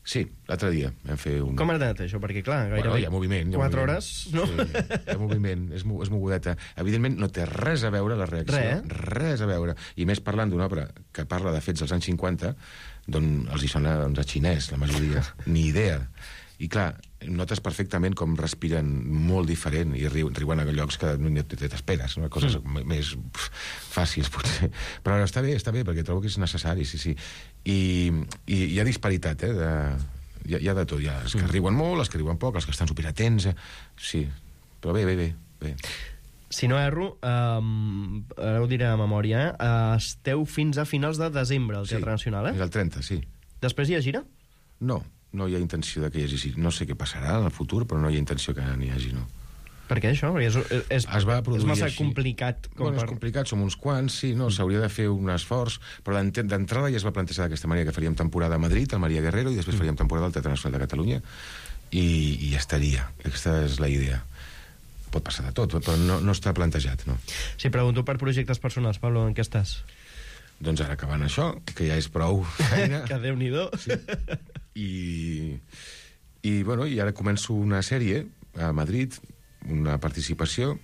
Sí, l'altre dia vam fer un... Com ha anat això? Perquè, clar, gairebé... Bueno, hi ha moviment. Hi ha quatre moviment. hores, no? Sí, hi ha moviment, és, és mogudeta. Evidentment, no té res a veure la reacció. Res, eh? Res a veure. I més parlant d'una obra que parla de fets dels anys cinquanta, d'on els hi sona doncs, a xinès, la majoria. Ni idea. I, clar, notes perfectament com respiren molt diferent i riuen, riuen a llocs que no t'esperes, no? Coses mm. més pf, fàcils, potser. Però està bé, està bé, perquè trobo que és necessari, sí, sí. I, i hi ha disparitat, eh? De, hi, ha, hi ha de tot. Hi ha els que mm. riuen molt, els que riuen poc, els que estan superatents, eh? Sí. Però bé, bé, bé. bé. Si no erro, um, ara ho diré a memòria, eh? Esteu fins a finals de desembre al Teatre sí, Nacional, eh? És el trenta, sí. Després hi ha gira? No. No hi ha intenció de que hi hagi... No sé què passarà en el futur, però no hi ha intenció que n'hi hagi, no. Per què, això? Perquè és, és, es va és massa així. complicat. Com bueno, per... és complicat, som uns quants, sí, no, s'hauria de fer un esforç, però d'entrada ja es va plantejar d'aquesta manera, que faríem temporada a Madrid, al Maria Guerrero, i després faríem temporada al Teatre Nacional de Catalunya, i, i ja estaria. Aquesta és la idea. Pot passar de tot, però no, no està plantejat, no. Si pregunto per projectes personals, Pablo, en què estàs? Doncs ara acabant això, que ja és prou feina. Que Déu-n'hi-do. Sí. I, i, bueno, i ara començo una sèrie a Madrid una participació.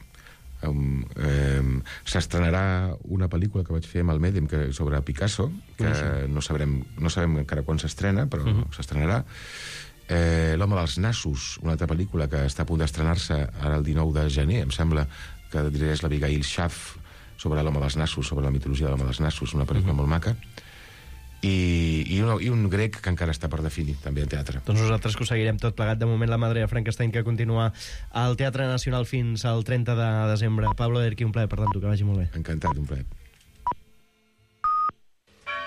Um, um, s'estrenarà una pel·lícula que vaig fer amb el Medem que, sobre Picasso, que no sabrem, no sabem encara quan s'estrena, però uh-huh. s'estrenarà. Eh, L'home dels nassos, una altra pel·lícula que està a punt d'estrenar-se ara el dinou de gener, em sembla, que dirigeix l'Abigail Schaff, sobre l'home dels nassos, sobre la mitologia de l'home dels nassos, una pel·lícula uh-huh. molt maca. I, i, un, i un grec que encara està per definir, també en teatre. Doncs nosaltres que ho seguirem tot plegat. De moment, la Madre de Frankenstein, que continua al Teatre Nacional fins al trenta de desembre. Pablo Derqui, un plaer, per tant, que vagi molt bé. Encantat, un plaer.